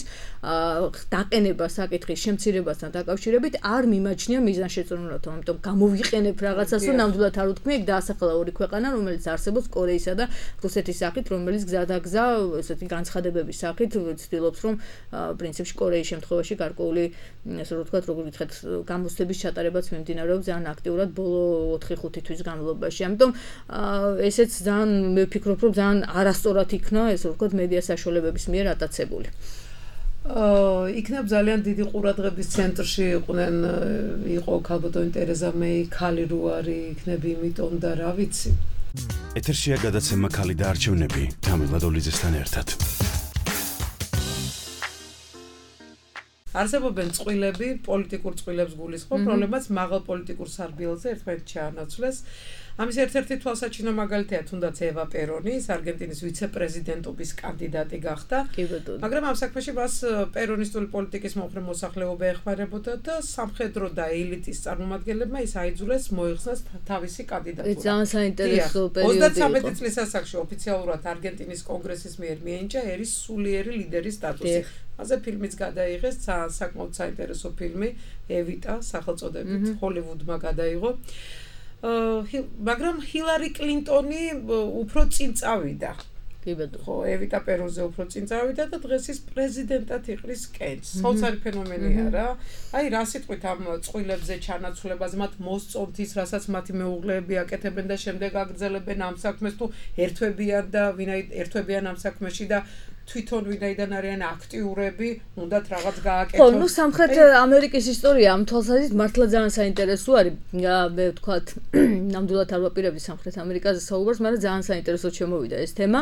დაყენება საკითხის შემცირებასთან დაკავშირებით არ მიმაჩნია მიზანშეწონილად, ამიტომ გამოვიყენებ რაღაცას, რომ ნამდვილად არ უთქმი, ეგ დაასახელა ორი ქვეყანა, რომელიც არსებობს კორეისა და რუსეთის სახით, რომელიც გზადაგზა ესეთი განცხადებების სახით ცდილობს, რომ პრინციპში კორეის შემთხვევაში გარკვეული ესე ვთქვათ, როგორ ვითხეთ, გამოცდების ჩატარებაც მიმდინარეობს ძალიან აქტიურად ბოლო 4-5 თვის განმავლობაში. ამიტომ ესეც ძალიან მე ვფიქრობ, რომ ძალიან არასწორად იქნა ესე ვთქვათ მედია საშუალებების მიერ ატაცებული. იქნებ ძალიან დიდი ყურადღების ცენტრში იყო ქალბატონი ტერეზა მეი, ქალი რო არის, იქნები იმიტომ და რა ვიცი. ეთერშია გადაცემა ქალი და არჩევნები თამილ ლადოლიძესთან ერთად. არსებობენ წყვილები, პოლიტიკურ წყვილებს გულისხმობ, რომლებმაც მაღალ პოლიტიკურ სარბიელზე ერთმანეთს ჩაანაცვლეს. ამის ერთ-ერთი თვალსაჩინო მაგალითია თუნდაც ევა პერონი, არგენტინის ვიცე-პრეზიდენტობის კანდიდატი გახდა. მაგრამ ამ საქმეში მას პერონისტული პოლიტიკის მომხრე მოსახლეობა ეხმარებოდა და სამხედრო და ელიტის წარმომადგენლებმა ის აიძულეს მოიხსნას თავისი კანდიდატურა. ძალიან საინტერესო პერიოდი იყო. 33 წლის ასაკში ოფიციალურად არგენტინის კონგრესის მიერ მიენიჭა ერის სულიერი ლიდერის სტატუსი. მასზე ფილმიც გადაიღეს, საკმაოდ საინტერესო ფილმი ევიტა სახელწოდებით, ჰოლივუდმა გადაიღო. მაგრამ ჰილარი კლინტონი უფრო წინ წავიდა. ხო, ევიტა პერონზე უფრო წინ წავიდა და დღეს ის პრეზიდენტად იყრის კენჭს. საოცარი ფენომენია რა. აი რა სიტყვით ამ წყვილებზე ჩანაცვლებაზე მათ მოსწონთ ის, რასაც მათი მეუღლეები აკეთებენ და შემდეგ აგრძელებენ ამ საქმეს, თუ ერთვებიან და ერთვებიან ამ საქმეში და თვითონ ვინაიდან არიან აქტიურები, უნდათ რაღაც გააკეთონ. ხო, ნუ სამხრეთ ამერიკის ისტორია ამ თვალსაზრისით მართლა ძალიან საინტერესო არის. მე ვთქვათ, ნამდვილად არ ვაპირებდი სამხრეთ ამერიკაზე საუბარს, მაგრამ ძალიან საინტერესოდ შემოვიდა ეს თემა.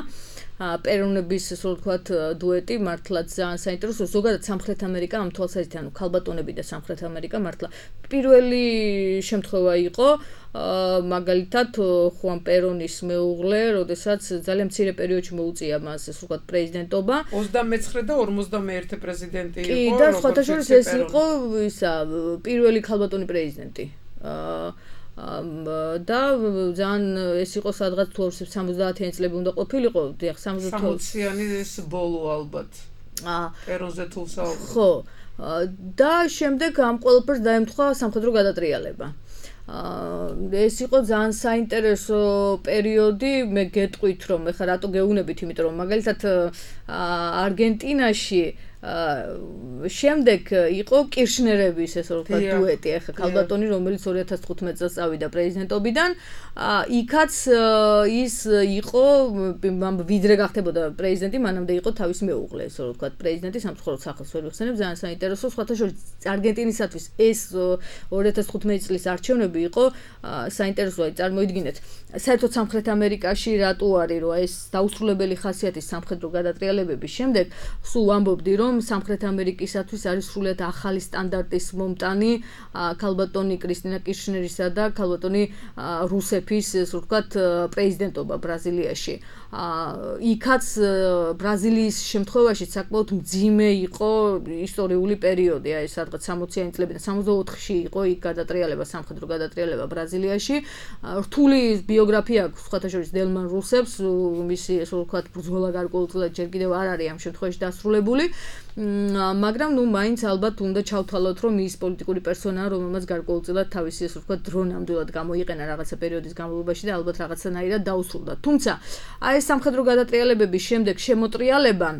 პერონების ასე ვთქვათ დუეტი მართლაც ძალიან საინტერესო. ზოგადად სამხრეთ ამერიკა ამ თვალსაზრისით, ანუ ქალბატონები და სამხრეთ ამერიკა მართლა პირველი შემთხვევა იყო. მაგალითად ხუან პერონის მეუღლე, როდესაც ძალიან მცირე პერიოდში მოუწია მას ასე ვთქვათ პრეზიდენტ პრეზიდენტობა. 29 და 51 პრეზიდენტი იყო. კი, და სხვათა შორის ეს იყო ისა პირველი ქალბატონი პრეზიდენტი. და ძალიან ეს იყო სადღაც 70-იანი წლები უნდა ყოფილიყო, დიახ, 60-იანი ეს ბოლო ალბათ. პერონზე თუ საუბრობ. ხო. და შემდეგ ამ ყველაფერს დაემთხვა სამხედრო გადატრიალება. ეს იყო ძალიან საინტერესო პერიოდი, მე გეტყვით რომ ეხლა რატო გეუბნებით, იმიტომ რომ მაგალითად არგენტინაში შემდეგ იყო კირშნერების ესე რომ ვთქვათ დუეტი, ეხლა ქალბატონი რომელიც 2015 წელს წავიდა პრეზიდენტობიდან, იქაც ის იყო ვიდრე გახდებოდა პრეზიდენტი, მანამდე იყო თავის მეუღლე, ესე რომ ვთქვათ პრეზიდენტი სამწუხაროდ სახელს ვერ ვიხსენებ, ძალიან საინტერესო, სხვათა შორის არგენტინისათვის ეს 2015 წლის არჩევნები იყო საინტერესო, აი წარმოიდგინეთ, საერთოდ სამხრეთ ამერიკაში რატო არის, რომ ეს დაუსრულებელი ხასიათის სამხედრო გადატრიალებების შემდეგ სულ ვამბობდი, რომ სამხრეთ ამერიკისათვის არის სრულიად ახალი სტანდარტის მომტანი ქალბატონი კრისტინა კირშნერისა და ქალბატონი რუსეფის, ასე ვთქვათ, პრეზიდენტობა ბრაზილიაში. იქაც ბრაზილიის შემთხვევაში საკმაოდ მძიმე იყო ისტორიული პერიოდი, აი სადღაც 60-იანი წლებიდან 64-ში იყო იქ გადატრიალება, სამხედრო გადატრიალება ბრაზილიაში. რთული ბიოგრაფია აქვს სხვათა შორის დელმან რუსეფს, მისი ასე ვთქვათ ბრძოლა გარკვეულწილად ჯერ კიდევ არ არის ამ შემთხვევაში დასრულებული. მაგრამ ნუ მაინც ალბათ უნდა ჩავთვალოთ, რომ ის პოლიტიკური პერსონაა, რომელმაც გარკვეულწილად თავისი ასე ვთქვათ დრო ნამდვილად გამოიყენა რაღაცა პერიოდის განმავლობაში და ალბათ რაღაცნაირად დაუსრულდა. თუმცა აი ეს სამხედრო გადატრიალებების შემდეგ შემოტრიალება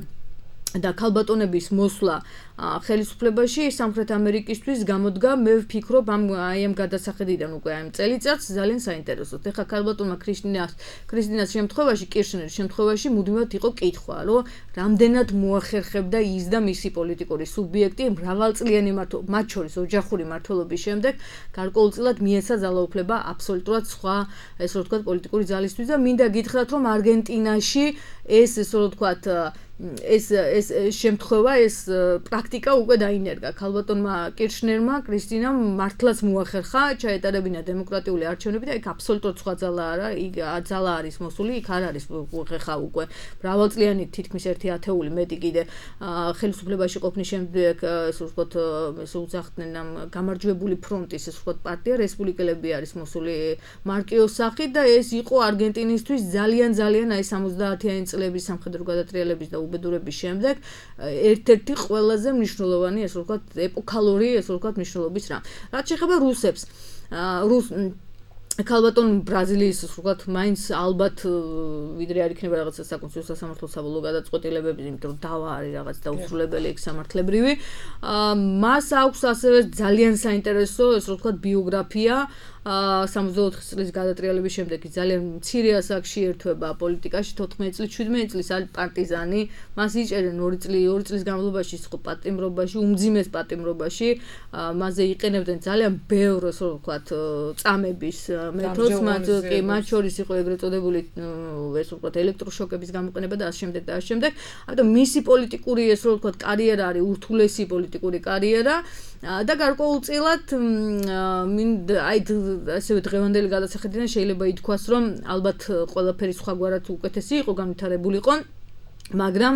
და ქალბატონების მოსვლა ხელისუფლებაში სამხრეთ ამერიკისთვის გამოდგა, მე ვფიქრობ ამ გადასახედიდან უკვე ამ წელიწადს ძალიან საინტერესოდ. ეხლა ქალბატონმა კრისტინას შემთხვევაში, კირშნერის შემთხვევაში მუდმივად იყო კითხვა, რომ რამდენად მოახერხებდა ის და მისი პოლიტიკური სუბიექტი მრავალწლიანი მათ შორის ოჯახური მმართველობის შემდეგ გარკვეულწილად მიეცა ძალაუფლება აბსოლუტურად სხვა, ესე რომ ვთქვათ, პოლიტიკური ძალისთვის და მინდა გითხრათ, რომ არგენტინაში ეს ესე რომ ვთქვათ ეს შემთხვევა, ეს პრაქტიკა უკვე დაინერგა. ქალბატონმა კირშნერმა, კრისტინამ მართლაც მოახერხა ჩაეტარებინა დემოკრატიული არჩევნები და იქ აბსოლუტურად სხვა ძალა არა, იქ ძალა არის მოსული, იქ არ არის ხეხა უკვე მრავალწლიანი თითქმის 1 ათეული მეტი კიდე ხელისუფლებაში ყოფნის შემდეგ, ესე ვთქვათ, ესე უძახდნენ ამ გამარჯვებული ფრონტის, ესე ვთქვათ, პარტია რესპუბლიკელები არის მოსული მარკიოს სახით და ეს იყო არგენტინისთვის ძალიან აი 70-იანი წლების სამხედრო გადატრიალების და უბედურების შემდეგ ერთ-ერთი ყველაზე მნიშვნელოვანი, ესე ვთქვათ, ეპოქალური, ესე ვთქვათ, მნიშვნელობის რამ. რაც შეეხება რუსებს, ქალბატონ ბრაზილიის, ასე ვთქვათ, მაინც ალბათ ვიდრე არ იქნება რაღაცა საკონსულტაციო სასამართლო საბოლოო გადაწყვეტილებები, იმიტომ რომ დავა არის რაღაც დაუსრულებელი ეგ სამართლებრივი. მას აქვს ასევე ძალიან საინტერესო, ესე ვთქვათ, ბიოგრაფია 64 წლის გადატრიალების შემდეგ ძალიან მცირე ასაკში ერთვება პოლიტიკაში, 14 წლის, 17 წლის არის პარტიზანი, მას იჭერენ 2 წლის განმავლობაში იყო პატიმრობაში, უმძიმეს პატიმრობაში, მასზე იყენებდნენ ძალიან ბევრ, ასე ვთქვათ, წამების მეთოდს, მათ შორის იყო ეგრეთ წოდებული, ესე ვთქვათ, ელექტროშოკების გამოყენება და ასე შემდეგ და ასე შემდეგ. ამიტომ მისი პოლიტიკური, ესე ვთქვათ, კარიერა არის ურთულესი პოლიტიკური კარიერა და გარკვეულწილად აი ასევე დღევანდელი გადასახედიდან შეიძლება ითქვას, რომ ალბათ ყველაფერი სხვაგვარად უკეთესი იყო, განვითარებულიყო, მაგრამ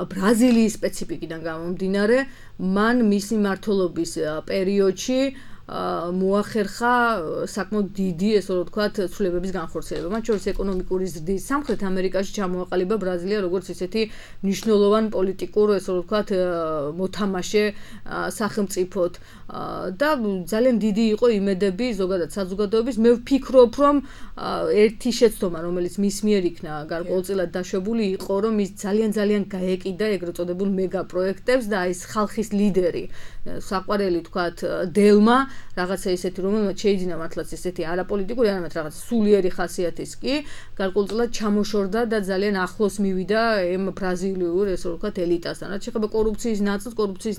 ბრაზილიის სპეციფიკიდან გამომდინარე, მან მისი მმართველობის პერიოდში მოახერხა საკმაოდ დიდი, ესე რომ ვთქვათ, ცვლილებების განხორციელება. მათ შორის ეკონომიკური ზრდის სამხრეთ ამერიკაში ჩამოაყალიბა ბრაზილია როგორც ისეთი მნიშვნელოვანი პოლიტიკურ, ესე რომ ვთქვათ, მოთამაშე სახელმწიფოდ და ძალიან დიდი იყო იმედები ზოგადად საზოგადოების. მე ვფიქრობ, რომ ერთი შეცდომა, რომელიც მის მიერ იქნა გარკვეულწილად დაშვებული, იყო, რომ ის ძალიან გაეკიდა ეგრეთ წოდებულ მეგა პროექტებს და ეს ხალხის ლიდერი, საყვარელი ვთქვათ, დელმა რაღაცა ისეთი, რომელმაც შეიძინა მართლაც ისეთი არაპოლიტიკური, არამედ რაღაც სულიერი ხასიათის კი, გარკვეულწილად ჩამოშორდა და ძალიან ახლოს მივიდა ამ ბრაზილიურ, ესე ვთქვათ, ელიტასთან. რაც შეეხება კორუფციის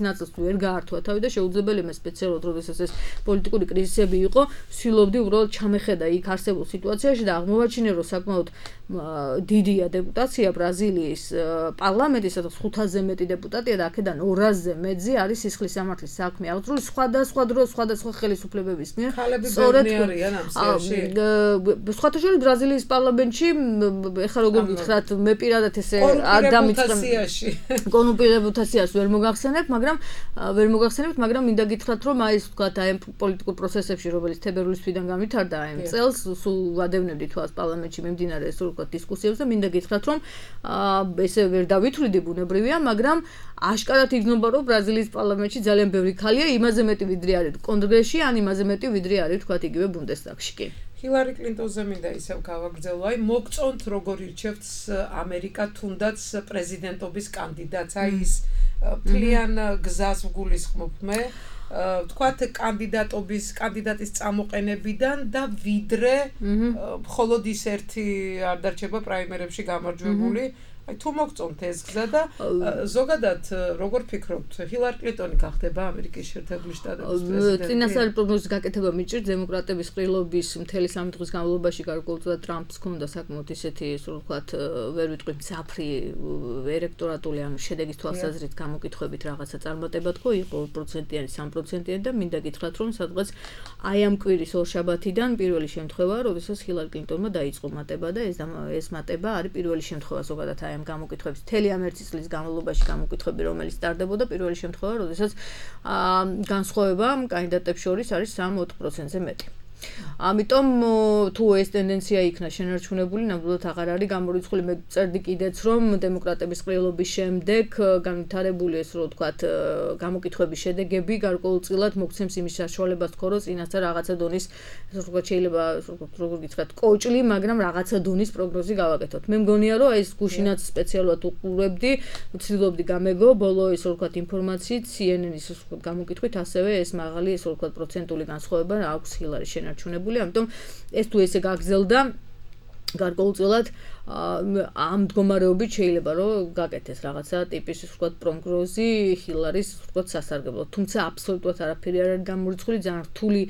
ნაწილს ვერ გაართვა თავი და შეუძლებელია სპეციალურად, როდესაც ეს პოლიტიკური კრიზისები იყო, ვცდილობდი უბრალოდ ჩამეხედა იქ არსებულ სიტუაციაში და აღმოვაჩინე, რომ საკმაოდ დიდია დეპუტაცია ბრაზილიის პარლამენტის, სადაც 500-ზე მეტი დეპუტატია და აქედან 200-ზე მეტზე არის სისხლის სამართლის საქმე აღძრული სხვადასხვა დროს, სხვადასხვა სხვადასხვა ხელისუფლებების მიერ. ქალები ბევრი არიან ამ სიაში. სხვათა შორის ბრაზილიის პარლამენტში ეხლა როგორ გითხრათ მე პირადად ესე არ დამიწყებ კონუპირებულთა სიას ვერ მოგახსენებ, მაგრამ მინდა გითხრათ რომ აი ეს ვთქვათ აი პოლიტიკურ პროცესებში რომელიც თებერვლის თვიდან გამვითარდა აი წელს სულ ვადევნებდი თვალს პარლამენტში მიმდინარე ეს ვთქვათ დისკუსიებს და მინდა გითხრათ რომ ესე ვერ დავითვლიდი ბუნებრივია, მაგრამ აშკარად იგნობა რომ ბრაზილიის პარლამენტში ძალიან ბევრი ქალია, იმაზე მეტი ვიდრე არის კონგრესში, ან იმაზე მეტი ვიდრე არის ვთქვათ იგივე ბუნდესტაგში კი. ჰილარი კლინტონზე მინდა ისევ გავაგრძელო, აი მოგწონთ როგორ ირჩევთ ამერიკა თუნდაც პრეზიდენტობის კანდიდატს, აი ის მთლიან გზას ვგულისხმობ მე, ვთქვათ კანდიდატის წამოყენებიდან და ვიდრე მხოლოდ ის ერთი არ დარჩება პრაიმერებში გამარჯვებული. აი თუ მოგწონთ ეს გზა და ზოგადად როგორ ფიქრობთ ჰილარი კლინტონი გახდება ამერიკის შეერთებული შტატების პრეზიდენტი? წინასწარი პროგნოზის გაკეთება მიჭირს დემოკრატების ყრილობის მთელი 3 დღის განმავლობაში გარკვეულწილად ტრამპს ჰქონდა საკმაოდ ისეთი ისე ვთქვათ ვერ ვიტყვი მძაფრი ელექტორატული ანუ შედეგის თვალსაზრისით გამოკითხვებით რაღაცა წარმატება თქო იყო 2%-იანი 3%-იანი და მინდა გითხრათ რომ სადღაც აი ამ კვირის ორშაბათიდან პირველი შემთხვევაა როდესაც ჰილარი კლინტონმა დაიწყო მატება და ეს მატება არის პირველი შემთხვევა ზოგადად ამ გამოკითხვების მთელი ამ 1 წლის განმავლობაში გამოკითხვები რომელიც სტარდებოდა პირველი შემთხვევა როდესაც განსხვავება კანდიდატებს შორის არის 3-4%-ზე მეტი. ამიტომ თუ ეს ტენდენცია იქნა შენარჩუნებული, ნამდვილად აღარ არის გამორიცხული. მე წერდი კიდეც რომ დემოკრატების ყრილობის შემდეგ განვითარებული ეს რო ვთქვათ გამოკითხვების შედეგები გარკვეულწილად მოგცემს იმის საშუალებას თქო რომ წინასწარ რაღაცა დონის ვთქვათ შეიძლება როგორ გითხრათ კოჭლი, მაგრამ რაღაცა დონის პროგნოზი გავაკეთოთ. მე მგონია რომ ეს გუშინაც სპეციალურად უყურებდი, ვცდილობდი გამეგო ბოლო ეს ვთქვათ ინფორმაციით CNN-ის ვთქვათ გამოკითხვით ასევე ეს მაღალი ეს ვთქვათ პროცენტული განსხვავება აქვს ჰილარის შენარჩუნებული, ამიტომ ეს თუ ესე გაგრძელდა გარკვეულწილად ამ მდგომარეობით შეიძლება რომ გაკეთეს რაღაცა ტიპის ვთქვათ პროგნოზი ჰილარის ვთქვათ სასარგებლოდ. თუმცა აბსოლუტურად არაფერი არ არის გამორიცხული, ძალიან რთული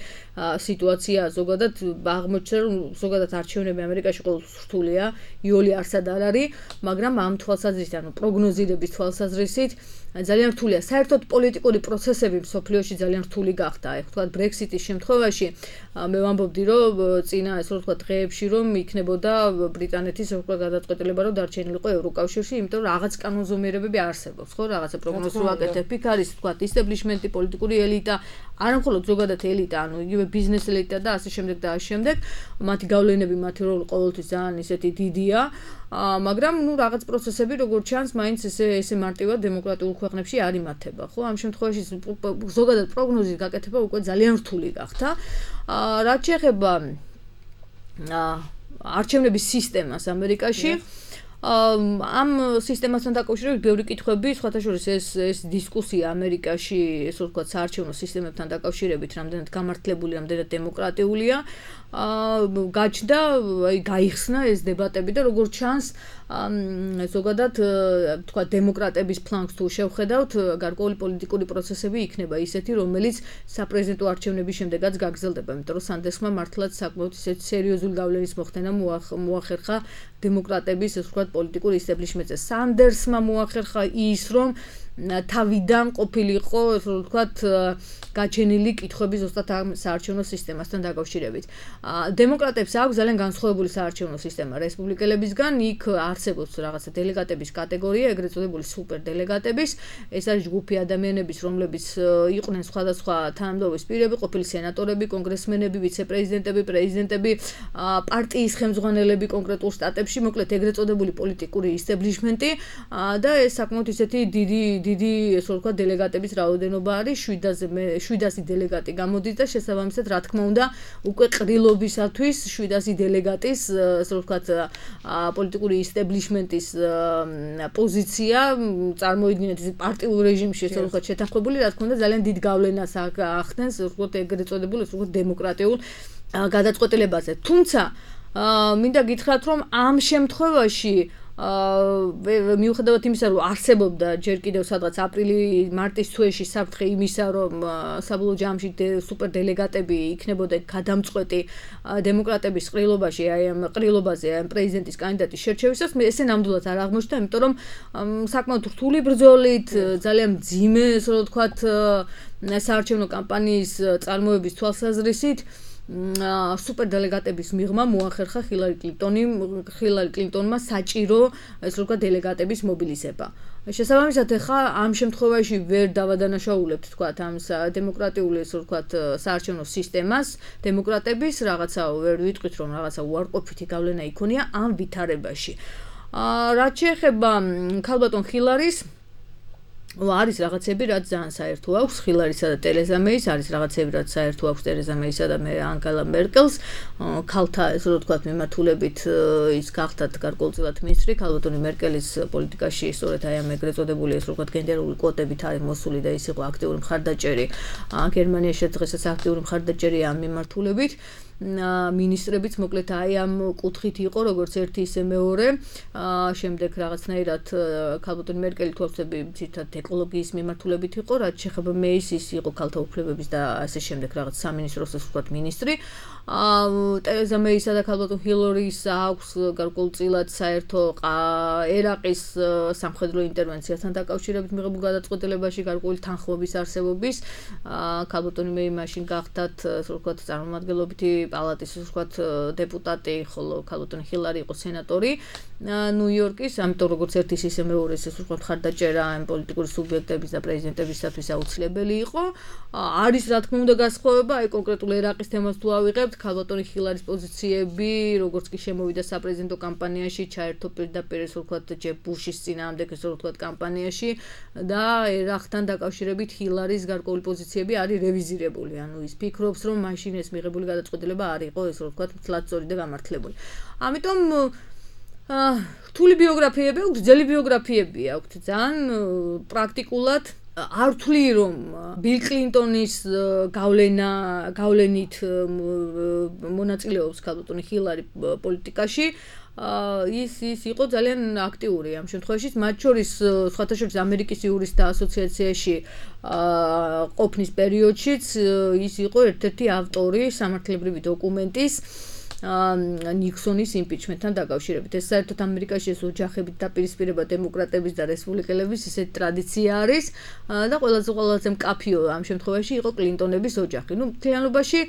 სიტუაციაა ზოგადად აღმოჩნდა რომ ზოგადად არჩევნები ამერიკაში ყოველთვის რთულია, იოლი არსად არ არის, მაგრამ ამ თვალსაზრისით ანუ პროგნოზირების თვალსაზრისით ძალიან რთულია. საერთოდ პოლიტიკური პროცესები მსოფლიოში ძალიან რთული გახდა. აი ვთქვათ ბრექსიტის შემთხვევაში მე ვამბობდი რომ წინა ესე ვთქვათ დღეებში რომ იქნებოდა ბრიტანეთის გადაწყვეტილება რომ დარჩენილიყო ევროკავშირში, იმიტომ რომ რაღაც კანონზომიერებები არსებობს, ხო, რაღაცა პროგნოზი ვაკეთებ. იქ არის ვთქვათ ისტაბლიშმენტი, პოლიტიკური ელიტა, არა მხოლოდ ზოგადად ელიტა, ანუ იგივე ბიზნეს ელიტა და ასე შემდეგ და ასე შემდეგ. მათი გავლენები, მათი როლი ყოველთვის ძალიან ისეთი დიდია. მაგრამ ნუ რაღაც პროცესები როგორც ჩანს, მაინც ესე მარტივად დემოკრატიულ ქვეყნებში არ იმართება, ხო? ამ შემთხვევაში ზოგადად პროგნოზის გაკეთება უკვე ძალიან რთული გახდა. რაც შეეხება არჩევნების სისტემას ამერიკაში ამ სისტემასთან დაკავშირებით ბევრი კითხვები, სხვათა შორის ეს დისკუსია ამერიკაში, ესე ვთქვათ, საარჩევნო სისტემებთან დაკავშირებით, რამდენად გამართლებული, რამდენად დემოკრატიულია, გაჩნდა, აი გაიხსნა ეს დებატები და როგორც ჩანს, ზოგადად, ვთქვათ, დემოკრატების ფლანგს თუ შევხედავთ, გარკვეული პოლიტიკური პროცესები იქნება ისეთი, რომელიც საპრეზიდენტო არჩევნების შემდეგაც გაგრძელდება, იმიტომ რომ სანდერსმა მართლაც საკმაოდ ისეთი სერიოზული გავლენის მოხდენა მოახერხა დემოკრატების, ესე ვთქვათ, პოლიტიკური ისტაბლიშმენტზე. სანდერსმა მოახერხა ის, რომ თავიდან ყოფილიყო, ესე ვთქვათ, გაჩენილი კითხვები ზუსტად ამ საარჩევნო სისტემასთან დაკავშირებით. დემოკრატებს აქვს ძალიან განსხვავებული საარჩევნო სისტემა რესპუბლიკელებისგან, იქ არსებობს რაღაცა დელეგატების კატეგორია, ეგრეთ წოდებული სუპერდელეგატების. ეს არის ჯგუფი ადამიანების, რომლებიც იყვნენ სხვადასხვა თანამდებობის პირები, ყოფილი სენატორები, კონგრესმენები, ვიცე-პრეზიდენტები, პრეზიდენტები, პარტიის ხელმძღვანელები კონკრეტულ შტატებში, მოკლედ ეგრეთ წოდებული პოლიტიკური ისტაბლიშმენტი და ეს საკმაოდ ისეთი დიდი ესე ვთქვათ დელეგატების რაოდენობა არის 700 დელეგატი გამოდის და შესაბამისად რა თქმა უნდა უკვე ყრილობისათვის 700 დელეგატის ესე ვთქვათ პოლიტიკური ისტაბლიშმენტის პოზიცია წარმოიდგინეთ პარტიულ რეჟიმში ესე ვთქვათ შეთანხმებული რა თქმა უნდა ძალიან დიდ გავლენას ახდენს ესე ვთქვათ ეგრეთ წოდებულ ესე ვთქვათ დემოკრატიულ გადაწყვეტილებაზე. თუმცა მინდა გითხრათ რომ ამ შემთხვევაში მიუხედავად იმისა, რომ არსებობდა ჯერ კიდევ სადღაც აპრილი-მარტის თვეში საფრთხე იმისა, რომ საბოლოო ჯამში სუპერდელეგატები იქნებოდა გადამწყვეტი დემოკრატების ყრილობაში, აი ამ ყრილობაზე, აი პრეზიდენტის კანდიდატის შერჩევისას, ესე ნამდვილად არ აღმოჩნდა, იმიტომ რომ საკმაოდ რთული ბრძოლით, ძალიან მძიმე, ასე რომ ვთქვათ, საარჩევნო კამპანიის წარმოების თვალსაზრისით სუპერდელეგატების მიღმა მოახერხა ჰილარი კლინტონმა საჭირო ეს როგორ დელეგატების მობილიზება. შესაბამისად, ახლა ამ შემთხვევაში ვერ დავადანაშაულებთ თქვათ ამ დემოკრატიული ეს ვთქვათ საარჩევნო სისტემას, დემოკრატების რაღაცა ვერ ვიტყვით რომ რაღაცა უარყოფითი გავლენა იქონია ამ ვითარებაში. რაც შეეხება ქალბატონ ჰილარის არის რაღაცები, რაც ძალიან საერთო აქვს ჰილარისა და ტერეზა მეის, არის რაღაცები, რაც საერთო აქვს ტერეზა მეისა და ანგელა მერკელს. ქალთა, ესე რომ ვთქვათ, მიმართულებით ის გახდათ გარკვეულწილად მინისტრი, ქალბატონი მერკელის პოლიტიკაში სწორედ აი ამ ეგრეთ წოდებული, ესე რომ ვთქვათ, გენდერული კვოტებით არის მოსული და ის იყო აქტიური მხარდაჭერი. გერმანიაში დღესაც აქტიური მხარდაჭერია ამ მიმართულებით. მინისტრებიც მოკლედ აი ამ კუთხით იყო როგორც ერთი ისე მეორე შემდეგ რაღაცნაირად ქალბატონი მერკელი თვალსები ცირთად ეკოლოგიის მიმართულებით იყო რაც შეეხება მეის ის იყო ქალთა უფლებების და ასე შემდეგ რაღაც სამინისტროს ასე ვთქვათ მინისტრი ტერეზა მეისა და ქალბატონ ჰილარის აქვს გარკვეულწილად საერთო ერაყის სამხედრო ინტერვენციასთან დაკავშირებით მიღებულ გადაწყვეტილებაში გარკვეული თანხმობის არსებობის ქალბატონი მეი მაშინ გახდათ ასე ვთქვათ წარმომადგენლობითი პალატის ვთქვათ დეპუტატი, ხოლო ქალბატონი ჰილარი იყო სენატორი ნიუ-იორკის, ამიტომ როგორც ერთის ისე მეორეს ეს ვთქვათ მხარდაჭერა ამ პოლიტიკური სუბიექტების და პრეზიდენტებისათვის აუცილებელი იყო. არის რა თქმა უნდა გასხოვება, აი კონკრეტულ ერაყის თემას თუ ავიღებთ, ქალბატონი ჰილარის პოზიციები, როგორც კი შემოვიდა საპრეზიდენტო კამპანიაში, ჩაერთო პირდაპირ ეს ვთქვათ ჯებ ბუშის წინააღმდეგ ეს ვთქვათ კამპანიაში და ერაყთან დაკავშირებით ჰილარის გარკვეული პოზიციები არის რევიზირებული. ანუ ის ფიქრობს, რომ მაშინ ეს მიღებული გადაწყვეტილება არ იყო ეს ვთქვათ მთლად სწორი და გამართლებული. ამიტომ რთული ბიოგრაფიები აქვს, ძელი ბიოგრაფიები აქვს, ძალიან პრაქტიკულად არ ვთვლი რომ ბილ კლინტონის გავლენით მონაწილეობს ქალბატონი ჰილარი პოლიტიკაში. ის იყო ძალიან აქტიური ამ შემთხვევაში, მათ შორის სხვათა შორის ამერიკის იურისტთა ასოციაციაში ყოფნის პერიოდშიც ის იყო ერთ-ერთი ავტორი სამართლებრივი დოკუმენტის ნიქსონის იმპიჩმენტთან დაკავშირებით. ეს საერთოდ ამერიკაში ეს ოჯახებით დაპირისპირება დემოკრატების და რესპუბლიკელების ისეთი ტრადიცია არის და ყველაზე მკაფიო ამ შემთხვევაში იყო კლინტონების ოჯახი. ნუ მთლიანობაში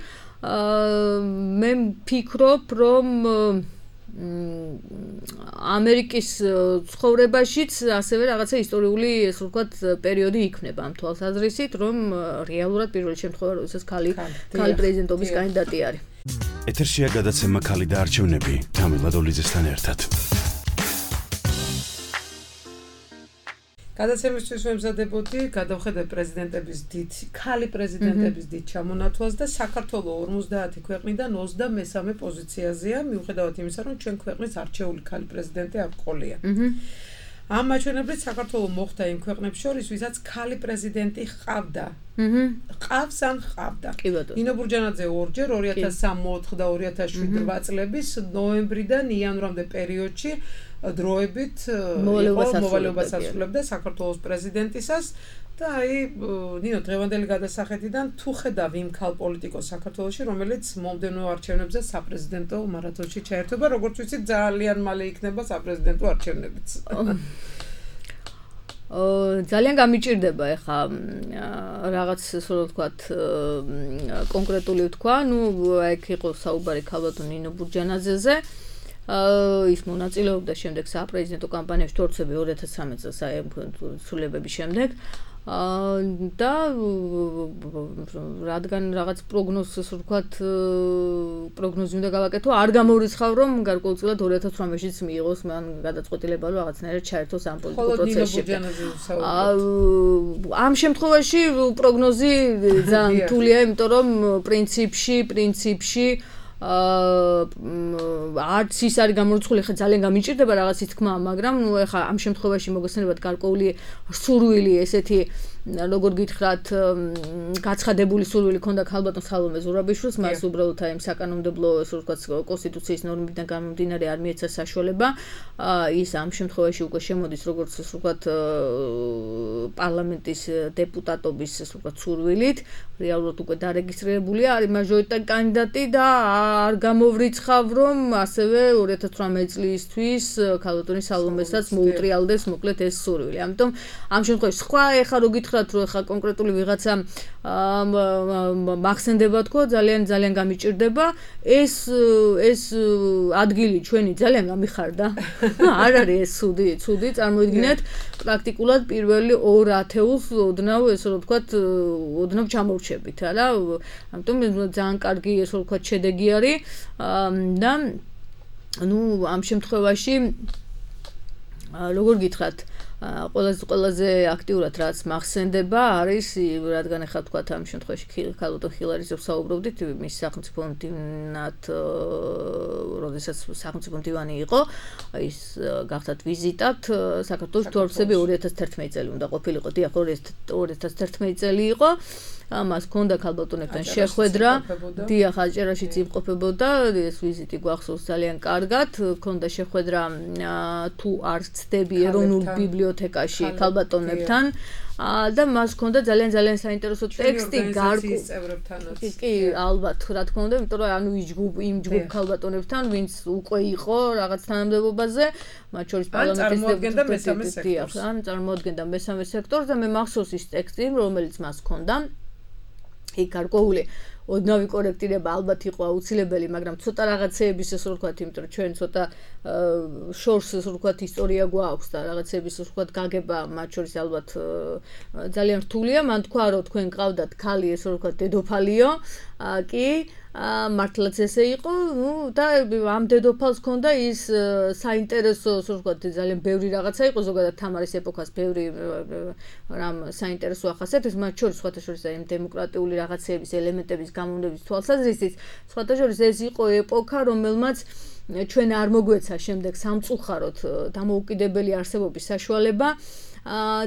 მე ვფიქრობ, რომ ამერიკის ცხოვრებაშიც ასევე რაღაცა ისტორიული ეს ვთქვათ პერიოდი იქნება ამ თვალსაზრისით, რომ რეალურად პირველი შემთხვევა როდესაც ქალი პრეზიდენტობის კანდიდატი არის. ეთერშია გადაცემა ქალი და არჩევნები თამილ ლადოლიძესთან ერთად. გადაცემისთვის ვემზადებოდი, გადავხედე ქალი პრეზიდენტების დიდ ჩამონათვალს და საქართველოს 50 ქვეყნიდან 23 პოზიციაზეა, მიუხედავად იმისა, რომ ჩვენ ქვეყნის არჩეული ქალი პრეზიდენტი არ ყოლია. ამ მაჩვენებლით საქართველოს მოხდა იმ ქვეყნებს შორის, ვისაც ქალი პრეზიდენტი ჰყავდა. ყავს ან ჰყავდა. ნინო ბურჯანაძე ორჯერ 2003 და 2007 წლების ნოემბრიდან იანვრამდე პერიოდში დროებით მოვალეობას ასრულებდა საქართველოს პრეზიდენტისას და აი ნინო დღევანდელი გადასახედიდან თუ ხედავ იმ ქალ პოლიტიკოს საქართველოში, რომელიც მომდევნო არჩევნებზე საპრეზიდენტო მარათონში ჩაერთვება, როგორც ვიცით, ძალიან მალე იქნება საპრეზიდენტო არჩევნებიც. ძალიან გამიჭირდება ეხა რაღაც ასე რომ ვთქვათ კონკრეტული ვთქვა, ნუ ეგ იყო საუბარი ქალბატონ ნინო ბურჯანაძეზე. ის მონაწილეობდა შემდეგ საპრეზიდენტო კამპანიაში თორცები 2013 წელს სრულებების შემდეგ და რადგან რაღაც პროგნოზს ვთქვათ პროგნოზი უნდა გავაკეთო, არ გამორიცხავ რომ გარკვეულწილად 2018-შიც მიიღოს მან გადაწყვეტილება რომ რაღაცნაირად ჩაერთოს ამ პოლიტიკურ პროცესში. ამ შემთხვევაში პროგნოზი ძალიან რთულია, იმიტომ რომ პრინციპში არც ის არის გამორიცხული, ხა ძალიან გამიჭირდება რაღაცის თქმა, მაგრამ ნუ ეხა ამ შემთხვევაში მოგესწრებათ გარკვეული სურვილი ესეთი როგორ გითხრათ, გაცხადებული სურვილი ქონდა ქალბატონ სალომე ზურაბიშვილს, მას უბრალოდ აი საკანონმდებლო ესე ვთქვათ კონსტიტუციის ნორმებიდან გამომდინარე არ მიეცა საშუალება. ის ამ შემთხვევაში უკვე შემოდის როგორც ესე ვთქვათ პარლამენტის დეპუტატობის ესე ვთქვათ სურვილით, რეალურად უკვე დარეგისტრირებულია, არის მაჟორიტეტარი კანდიდატი და არ გამოვრიცხავ, რომ ასევე 2018 წლისთვის ქალბატონი სალომესაც მოუტრიალდეს მოკლედ ეს სურვილი. ამიტომ ამ შემთხვევაში სხვა ეხა რო გითხრათ, რომ ეხა კონკრეტული ვიღაცა მახსენდება თქო, ძალიან გამიჭირდება, ეს ადგილი ჩვენი ძალიან გამიხარდა. არ არის ეს ცუდი, წარმოიდგინეთ, პრაქტიკულად პირველი 2 ათეულს ოდნავ ესე რომ ვთქვათ, ოდნავ ჩამოვრჩებით, არა? ამიტომ ძალიან კარგი ესე რომ ვთქვათ შედეგი არის და ამ შემთხვევაში როგორ გითხრათ, ყველაზე აქტიურად რაც მახსენდება არის, რადგან ახლა თქვათ ამ შემთხვევაში ქალბატონ ხილარიძე ვსაუბრობდით, მის სახელმწიფო მდივნად, როდესაც სახელმწიფო მდივანი იყო, ის გახდათ ვიზიტად საქართველოს თორფსები 2011 წელი უნდა ყოფილიყო, დიახ 2011 წელი იყო. მას ჰქონდა ქალბატონებთან შეხვედრა, დიახ აჭარაშიც იმყოფებოდა, ეს ვიზიტი გვახსოვს ძალიან კარგად, ჰქონდა შეხვედრა თუ არ ცდები ეროვნულ ბიბლიოთეკაში ქალბატონებთან და მას ჰქონდა ძალიან საინტერესო ტექსტი კი ალბათ რა თქმა უნდა, იმიტომ რომ ანუ იმ ჯგუფ ქალბატონებთან, ვინც უკვე იყო რაღაც თანამდებობაზე, მათ შორის პარლამენტის დეპუტატები, წარმოადგენდა მესამე სექტორს და მე მახსოვს ის ტექსტი, რომელიც მას ჰქონდა. იქ გარკვეული ოდნავი კორექტირება ალბათ იყო აუცილებელი, მაგრამ ცოტა რაღაცეების ესე ვთქვათ, იმიტომ რომ ჩვენ ცოტა შორს ესე ვთქვათ ისტორია გვაქვს და რაღაცეების ესე ვთქვათ გაგება მათ შორის ალბათ ძალიან რთულია. მან თქვა, რომ თქვენ გყავდათ ქალი ესე ვთქვათ დედოფალიო, კი მართლაც ესე იყო, და ამ დედოფალს ჰქონდა ის საინტერესო, ასე ვთქვათ, ძალიან ბევრი რაღაცა იყო, ზოგადად თამარის ეპოქას ბევრი რამ საინტერესო ახასიათებს, მათ შორის სხვათა შორის აი დემოკრატიული რაღაცეების ელემენტების გამოვნების თვალსაზრისით, სხვათა შორის ეს იყო ეპოქა, რომელმაც ჩვენ არ მოგვეცა შემდეგ სამწუხაროდ დამოუკიდებელი არსებობის საშუალება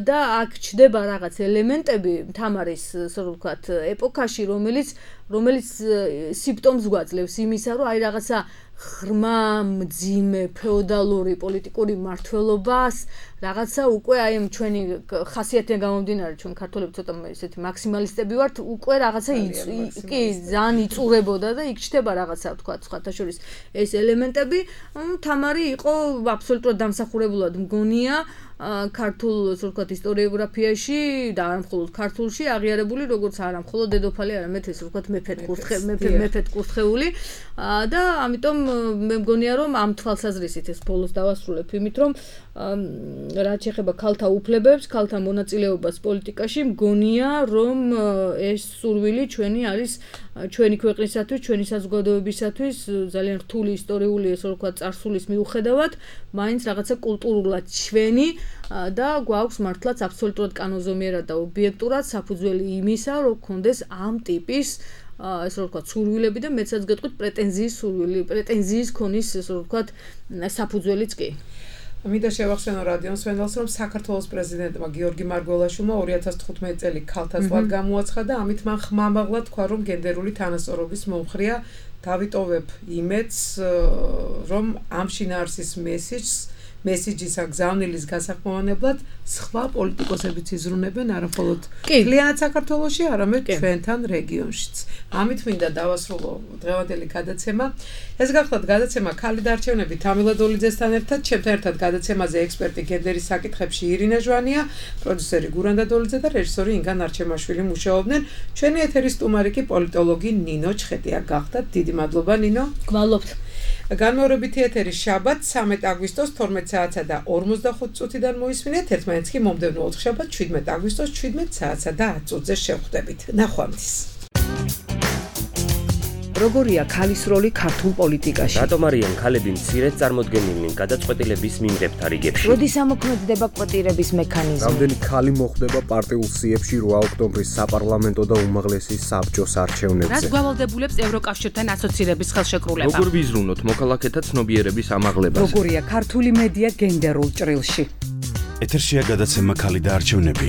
და აქ ჩდება რაღაც ელემენტები თამარის, ასე ვთქვათ, ეპოქაში, რომელიც სიმპტომს გვაძლევს იმისა, რომ აი რაღაცა ღრმა, მძიმე, ფეოდალური პოლიტიკური მმართველობას, რაღაცა უკვე აი ჩვენი ხასიათიდან გამომდინარე, ჩვენ ქართველები ცოტა ესეთი მაქსიმალისტები ვართ, უკვე რაღაცა კი ძალიან იწურებოდა და იქ ჩდება რაღაცა, ვთქვათ, სხვათა შორის ეს ელემენტები. თამარი იყო აბსოლუტურად დამსახურებულად მგონია ქართულ, ასე ვთქვათ, ისტორიოგრაფიაში და არა მხოლოდ ქართულში აღიარებული, როგორც არა მხოლოდ დედოფალი, არამედ ესე ვთქვათ, მეფედ კურთხეული და ამიტომ მე მგონია, რომ ამ თვალსაზრისით ეს ბოლოს დავასრულებ იმით, რომ რაც შეეხება ქალთა უფლებებს, ქალთა მონაწილეობას პოლიტიკაში, მგონია, რომ ეს სურვილი ჩვენი არის ჩვენი ქვეყნისათვის, ჩვენი საზოგადოებისათვის ძალიან რთული ისტორიული, ესე ვთქვათ, წარსულის მიუხედავად, მაინც რაღაცა კულტურულად ჩვენი და გვაქვს მართლაც აბსოლუტურად კანონზომიერად და ობიექტურად საფუძველი იმისა, რომ გქონდეს ამ ტიპის ესე ვთქვათ, სურვილები და მეცაც გეტყვით პრეტენზიის ქონის, ესე ვთქვათ, საფუძველიც კი. მინდა შევახსენო რადიო მსმენელს, რომ საქართველოს პრეზიდენტმა გიორგი მარგველაშვილმა 2015 წელი ქალთა წლად გამოაცხადა, ამით მან ხმამაღლა თქვა, რომ გენდერული თანასწორობის მომხრეა დავიტოვებ იმედს, რომ ამ შინაარსის მესიჯის აგზავნილის გასახმოვანებლად სხვა პოლიტიკოსებიც იზრუნებენ არა მხოლოდ მთლიანად საქართველოში, არამედ ჩვენთან რეგიონშიც. ამით მინდა დავასრულო დღევანდელი გადაცემა. ეს გახლავთ გადაცემა ქალი და არჩევნები თამილ ადოლიძესთან ერთად, ჩემთან ერთად გადაცემაზე ექსპერტი გენდერის საკითხებში ირინა ჟვანია, პროდიუსერი გურამ ადოლიძე და რეჟისორი ინგან არჩემაშვილი მუშაობდნენ. ჩვენი ეთერის სტუმარი კი პოლიტოლოგი ნინო ჩხეტია გახდათ. დიდი მადლობა ნინო. გვალობთ. განმეორებითი ეთერი შაბათ 13 აგვისტოს 12 საათსა და 45 წუთიდან მოისმინეთ, ერთმანეთს კი მომდევნო ოთხშაბათ 17 აგვისტოს 17 საათსა და 10 წუთზე შევხვდებით. ნახვამდის. როგორია ქალის როლი ქართულ პოლიტიკაში? რატომ არიან ქალები მცირედ წარმოდგენილნი გადაწყვეტილების მიმღებთა რიგებში? როდის ამოქმედდება კვოტირების მექანიზმი? რამდენი ქალი მოხვდება პარტიულ სიებში 8 ოქტომბრის საპარლამენტო და უმაღლესი საბჭოს არჩევნებზე? რაც გვალავდებულებს ევროკავშირთან ასოცირების ხელშეკრულება? როგორ ვიზრუნოთ მოქალაქეთა ცნობიერების ამაღლებას? როგორია ქართული მედია გენდერულ ჭრილში? ეთერშია გადაცემა ქალი და არჩევნები.